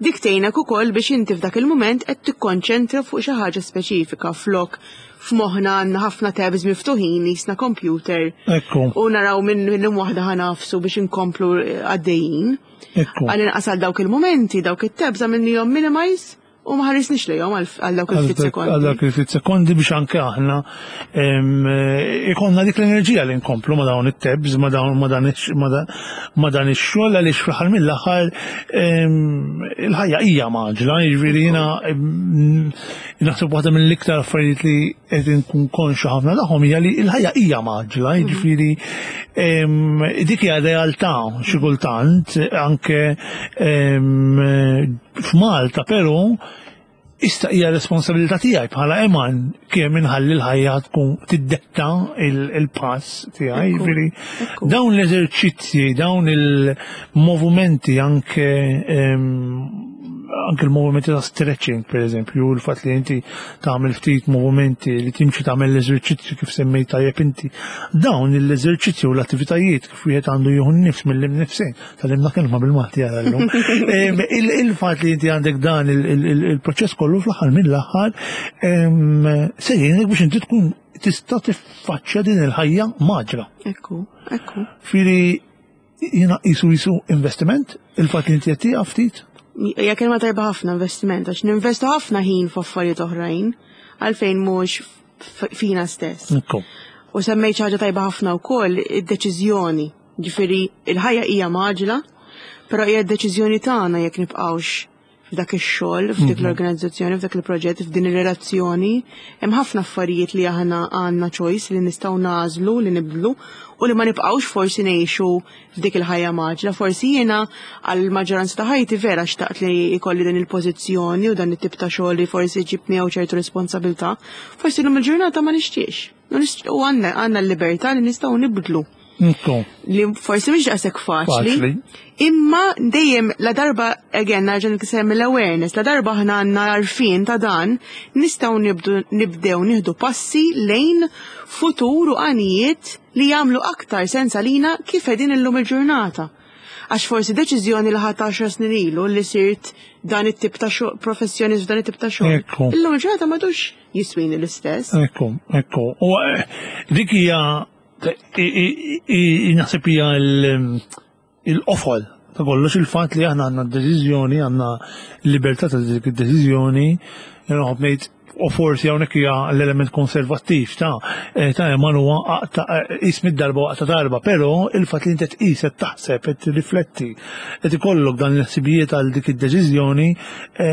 dik tgħinek ukoll biex inti f'dak il-mument qed tikkonċentra fuq xi ħaġa speċifika flok f'moħħna għandna ħafna tabs miftuħin jisna computer. Ekku. U naraw minn minn waħda ħanafsu biex inkomplu għaddejjin. Għal inqas għal dawk il-momenti, dawk it-tabs għamilnihom minimize u ma ħarisniex lejhom għal dawk il-ftit sekondi. Għal dawk il-ftit sekondi biex anke aħna ikonna dik l-enerġija li nkomplu ma dawn it-tabs, ma dawn ma dan ix-xogħol għaliex fl-aħħar mill-aħħar il-ħajja hija maġla, jiġifieri jiena naħseb waħda mill-iktar affarijiet li qed inkun konxu ħafna tagħhom hija li l-ħajja hija maġla, jiġifieri dik hija realtà xi kultant anke f'Malta però issa hija responsabilità tiegħi bħala eman kemm inħalli l-ħajja tkun tiddetta il-pass tiegħi, jiġifieri dawn l-eżerċizzji, dawn il-movimenti anke. anke l-movimenti ta' stretching, per eżempju, il-fatt li inti tagħmel ftit movimenti li timxi tagħmel l-eżerċizzju kif semmejt tajjeb inti. Dawn l-eżerċizzju u l-attivitajiet kif wieħed għandu jieħu n-nifs mill-imnifsejn, tal-imna kelma bil-Malti għal llum. Il-fatt li inti għandek dan il-proċess kollu fl-aħħar mill-aħħar se jgħinek biex inti tkun tista' tiffaċċja din il-ħajja maġra. Ekku, ekku. Firi jiena qisu jisu investiment, il-fatt li inti qed tieqaf ftit? Hija kelma tajba ħafna investiment, għax ninvestu ħafna ħin f'affarijiet oħrajn, għalfejn mhux fina stess. Ekku. U semmejt xi ħaġa tajba ħafna wkoll id-deċiżjoni. Ġifieri il-ħajja hija mgħaġġla, però hija d-deċiżjoni tagħna jekk nibqgħux f'dak ix-xogħol, f'dik l-organizzazzjoni, f'dak il-proġett, f'din ir-relazzjoni. Hemm ħafna affarijiet li aħna għandna choice li nistgħu nagħżlu li nibdlu u li ma nibqgħux forsi ngħixu f'dik il-ħajja mgħaġġla. Forsi jiena għal maġġoranza ta' ħajti vera xtaqt li jkolli din il-pożizzjoni u dan it-tip ta' xogħol li forsi ġib miegħu ċertu responsabilità. Forsi llum il-ġurnata ma nixtiex. U għandna għandna l-libertà li nistgħu nibdlu. Ekku. Li forsi mhix daqshekk faċli. Faċli. Imma dejjem la darba again nerġa' nsemmi l-awareness, la darba aħna għandna għarfien ta' dan, nistgħu nibdu nibdew nieħdu passi lejn futur u għanijiet li jagħmlu aktar sens għalina kif qegħdin illum il-ġurnata. Għax forsi deċiżjoni li ħadt 10 snin ilu li sirt dan it-tip ta' xogħol, professjonist f'dan it-tip ta' xogħol. Ekku. Illum il-ġurnata m'għadux jiswini l-istess. Ekku, ekku. U dik hija naħseb hija il-qofol ta' kollox il-fatt li aħna għandna d-deċiżjoni, għandna l-libertà ta' dik id-deċiżjoni, nħobb ngħid u forsi hawnhekk hija l-element konservattiv ta' Eman huwa qis mid-darba waqta darba, però il-fatt li inti tqis qed taħseb qed tirrifletti qed ikollok dan il-ħsibijiet għal dik id-deċiżjoni,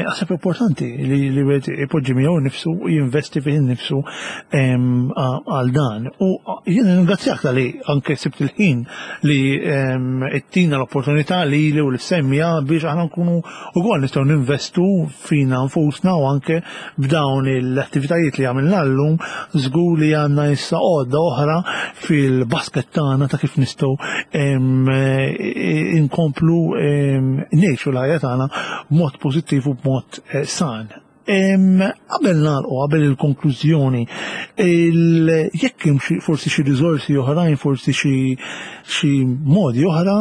naħseb importanti li wieħed ipoġġi miegħu nnifsu u jinvesti fih innifsu għal dan. U jien ringrazzjak tal-li anke sibt il-ħin li ittina l-opportunità li li u l-semmija biex aħna nkunu ukoll nistgħu ninvestu fina nfusna u anke b'dawn l-attivitajiet li għamilna llum żgur li għandna issa għodda oħra fil-basket tagħna ta' kif nistgħu inkomplu ngħixu l-ħajja tagħna b'mod pożittiv u b'mod san. Qabel nagħlqu, qabel il-konklużjoni, jekk hemm forsi xi riżorsi oħrajn, forsi xi modi oħra,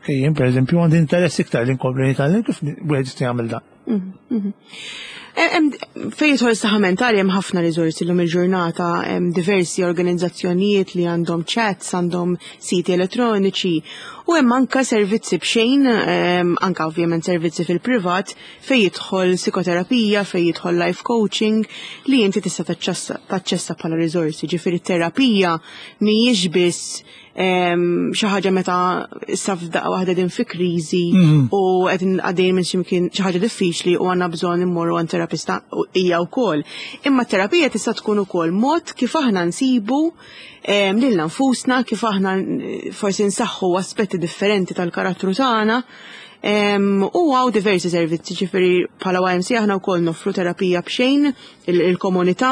jien pereżempju għandi interess iktar li nkompli nitgħallem kif wieħed jista' jagħmel dan. Fejn jidħol is-saħħa mentali hemm ħafna riżorsi llum il-ġurnata, hemm diversi organizzazzjonijiet li għandhom chats, għandhom siti elettroniċi u hemm anka servizzi b'xejn, anka ovvjament servizzi fil-privat fejn jidħol psikoterapija, fejn jidħol life coaching li inti tista' taċċessa bħala riżorsi. Ġifieri terapija mhijiex biss xi ħaġa meta issa f'daqqa waħda din fi kriżi u qed għaddejjin minn xi mkien xi ħaġa diffiċli u għandna bżonn immorru għand terapista hija wkoll. Imma terapija tista' tkun ukoll mod kif aħna nsibu lilna nfusna, kif aħna forsi nsaħħu aspetti differenti tal-karattru tagħna. U hawn diversi servizzi, ġifieri bħala YMCA aħna wkoll noffru terapija b'xejn il-komunità,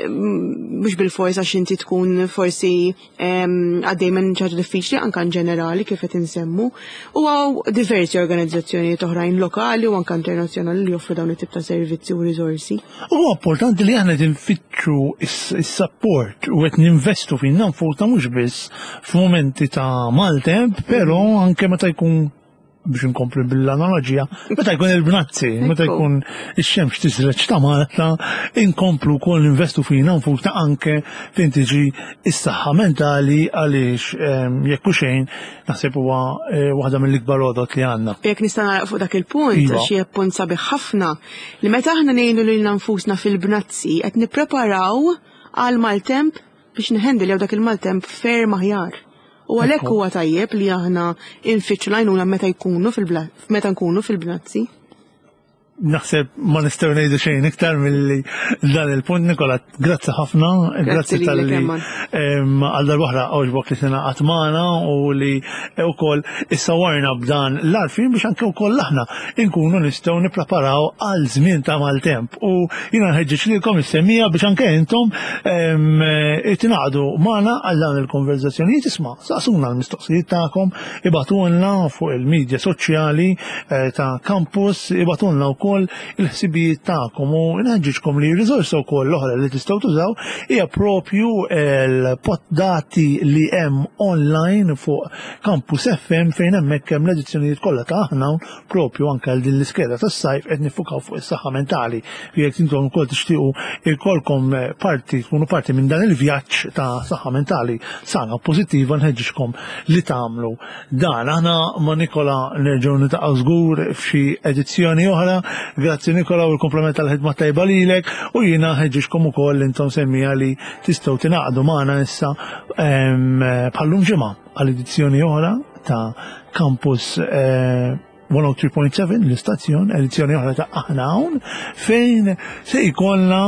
mhux bil-fors għax inti tkun forsi għaddej minn xi ħaġa diffiċli anke in ġenerali kif qed insemmu. U hawn diversi organizzazzjonijiet oħrajn lokali u anke internazzjonali li joffru dawn it-tip ta' servizzi u riżorsi. Huwa importanti li aħna qed infittxu is-support u qed ninvestu fina nfusna mhux biss f'mumenti ta' maltemp, però anke meta jkun biex inkompli bil-analoġija, meta jkun il-bnazzi, meta jkun ix-xemx tisreġ ta' Malta, inkomplu wkoll investu fina nfusna anke fejn tiġi is-saħħa mentali għaliex jekk hu xejn naħseb huwa waħda mill-ikbar għodot li għandna. Jekk nista' nagħlaq fuq dak il-punt, għax hija punt sabiħ ħafna, li meta aħna ngħinu lilna nfusna fil-bnazzi qed nippreparaw għal maltemp biex nħendiljaw dak il-maltemp ferm aħjar. U għalhekk huwa tajjeb li aħna nfittxu l-għajnuna meta jkunu fil meta nkunu fil-bnazzi. Naħseb ma nistgħu ngħidu xejn iktar milli dan il-punt Nikola, grazzi ħafna, grazzi tal-li għal darb'oħra għoġbok li tingħaqad magħna u li wkoll issawarna b'dan l-għarfien biex anke wkoll aħna nkunu nistgħu nippreparaw għal żmien ta' maltemp. U jiena nħeġġeġ lilkom is-semmiegħa biex anke intom tingħaqdu magħna għal dawn il-konverżazzjonijiet isma' saqsuna l-mistoqsijiet tagħkom, ibagħtulna fuq il-medja soċjali Eh, ta' campus ibatulna wkoll il-ħsibijiet tagħkom u nħeġġiġkom li riżorsa wkoll l-oħra li tistgħu tużaw hija propju l-poddati li hemm online fuq Campus FM fejn hemmhekk hemm l-edizzjonijiet kollha ta' aħna propju anke għal din l-iskeda tas-sajf qed nifukaw fuq is-saħħa mentali. Jekk intom ukoll tixtiequ ikollkom parti tkunu parti minn dan il-vjaġġ ta' saħħa mentali sana u pożittiva nħeġġiġkom li tagħmlu Dan, aħna ma' Nikola nerġgħu nitaqgħu żgur f'xi edizzjoni oħra. Grazzi Nikola u l-komplement tal-ħidma tajba lilek u jiena ħeġġiġkom ukoll intom semmija li tistgħu tingħaqdu magħna issa bħallum ġimgħa għal edizzjoni oħra ta' Campus 103.7 eh, l-istazzjon, edizzjoni oħra ta' Aħna Hawn fejn se jkollna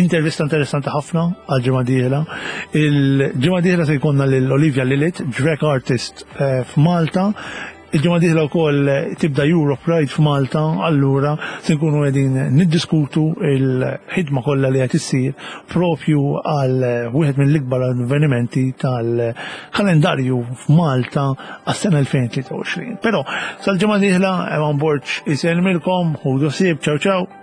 Intervista interessanti ħafna għal ġimgħa dieħla. Il-ġimgħa dieħla se jkollna lil Olivia Lilith, drag artist eh, f'Malta. Il-ġimgħa dieħla wkoll tibda Europe Pride f'Malta, allura se nkunu qegħdin niddiskutu il-ħidma kollha li qed issir propju għal wieħed mill-ikbar avvenimenti tal-kalendarju f'Malta għas-sena 2023. Però sal-ġimgħa dieħla Evan Borg isellmilkom, ħudu ħsieb, ciao ciao.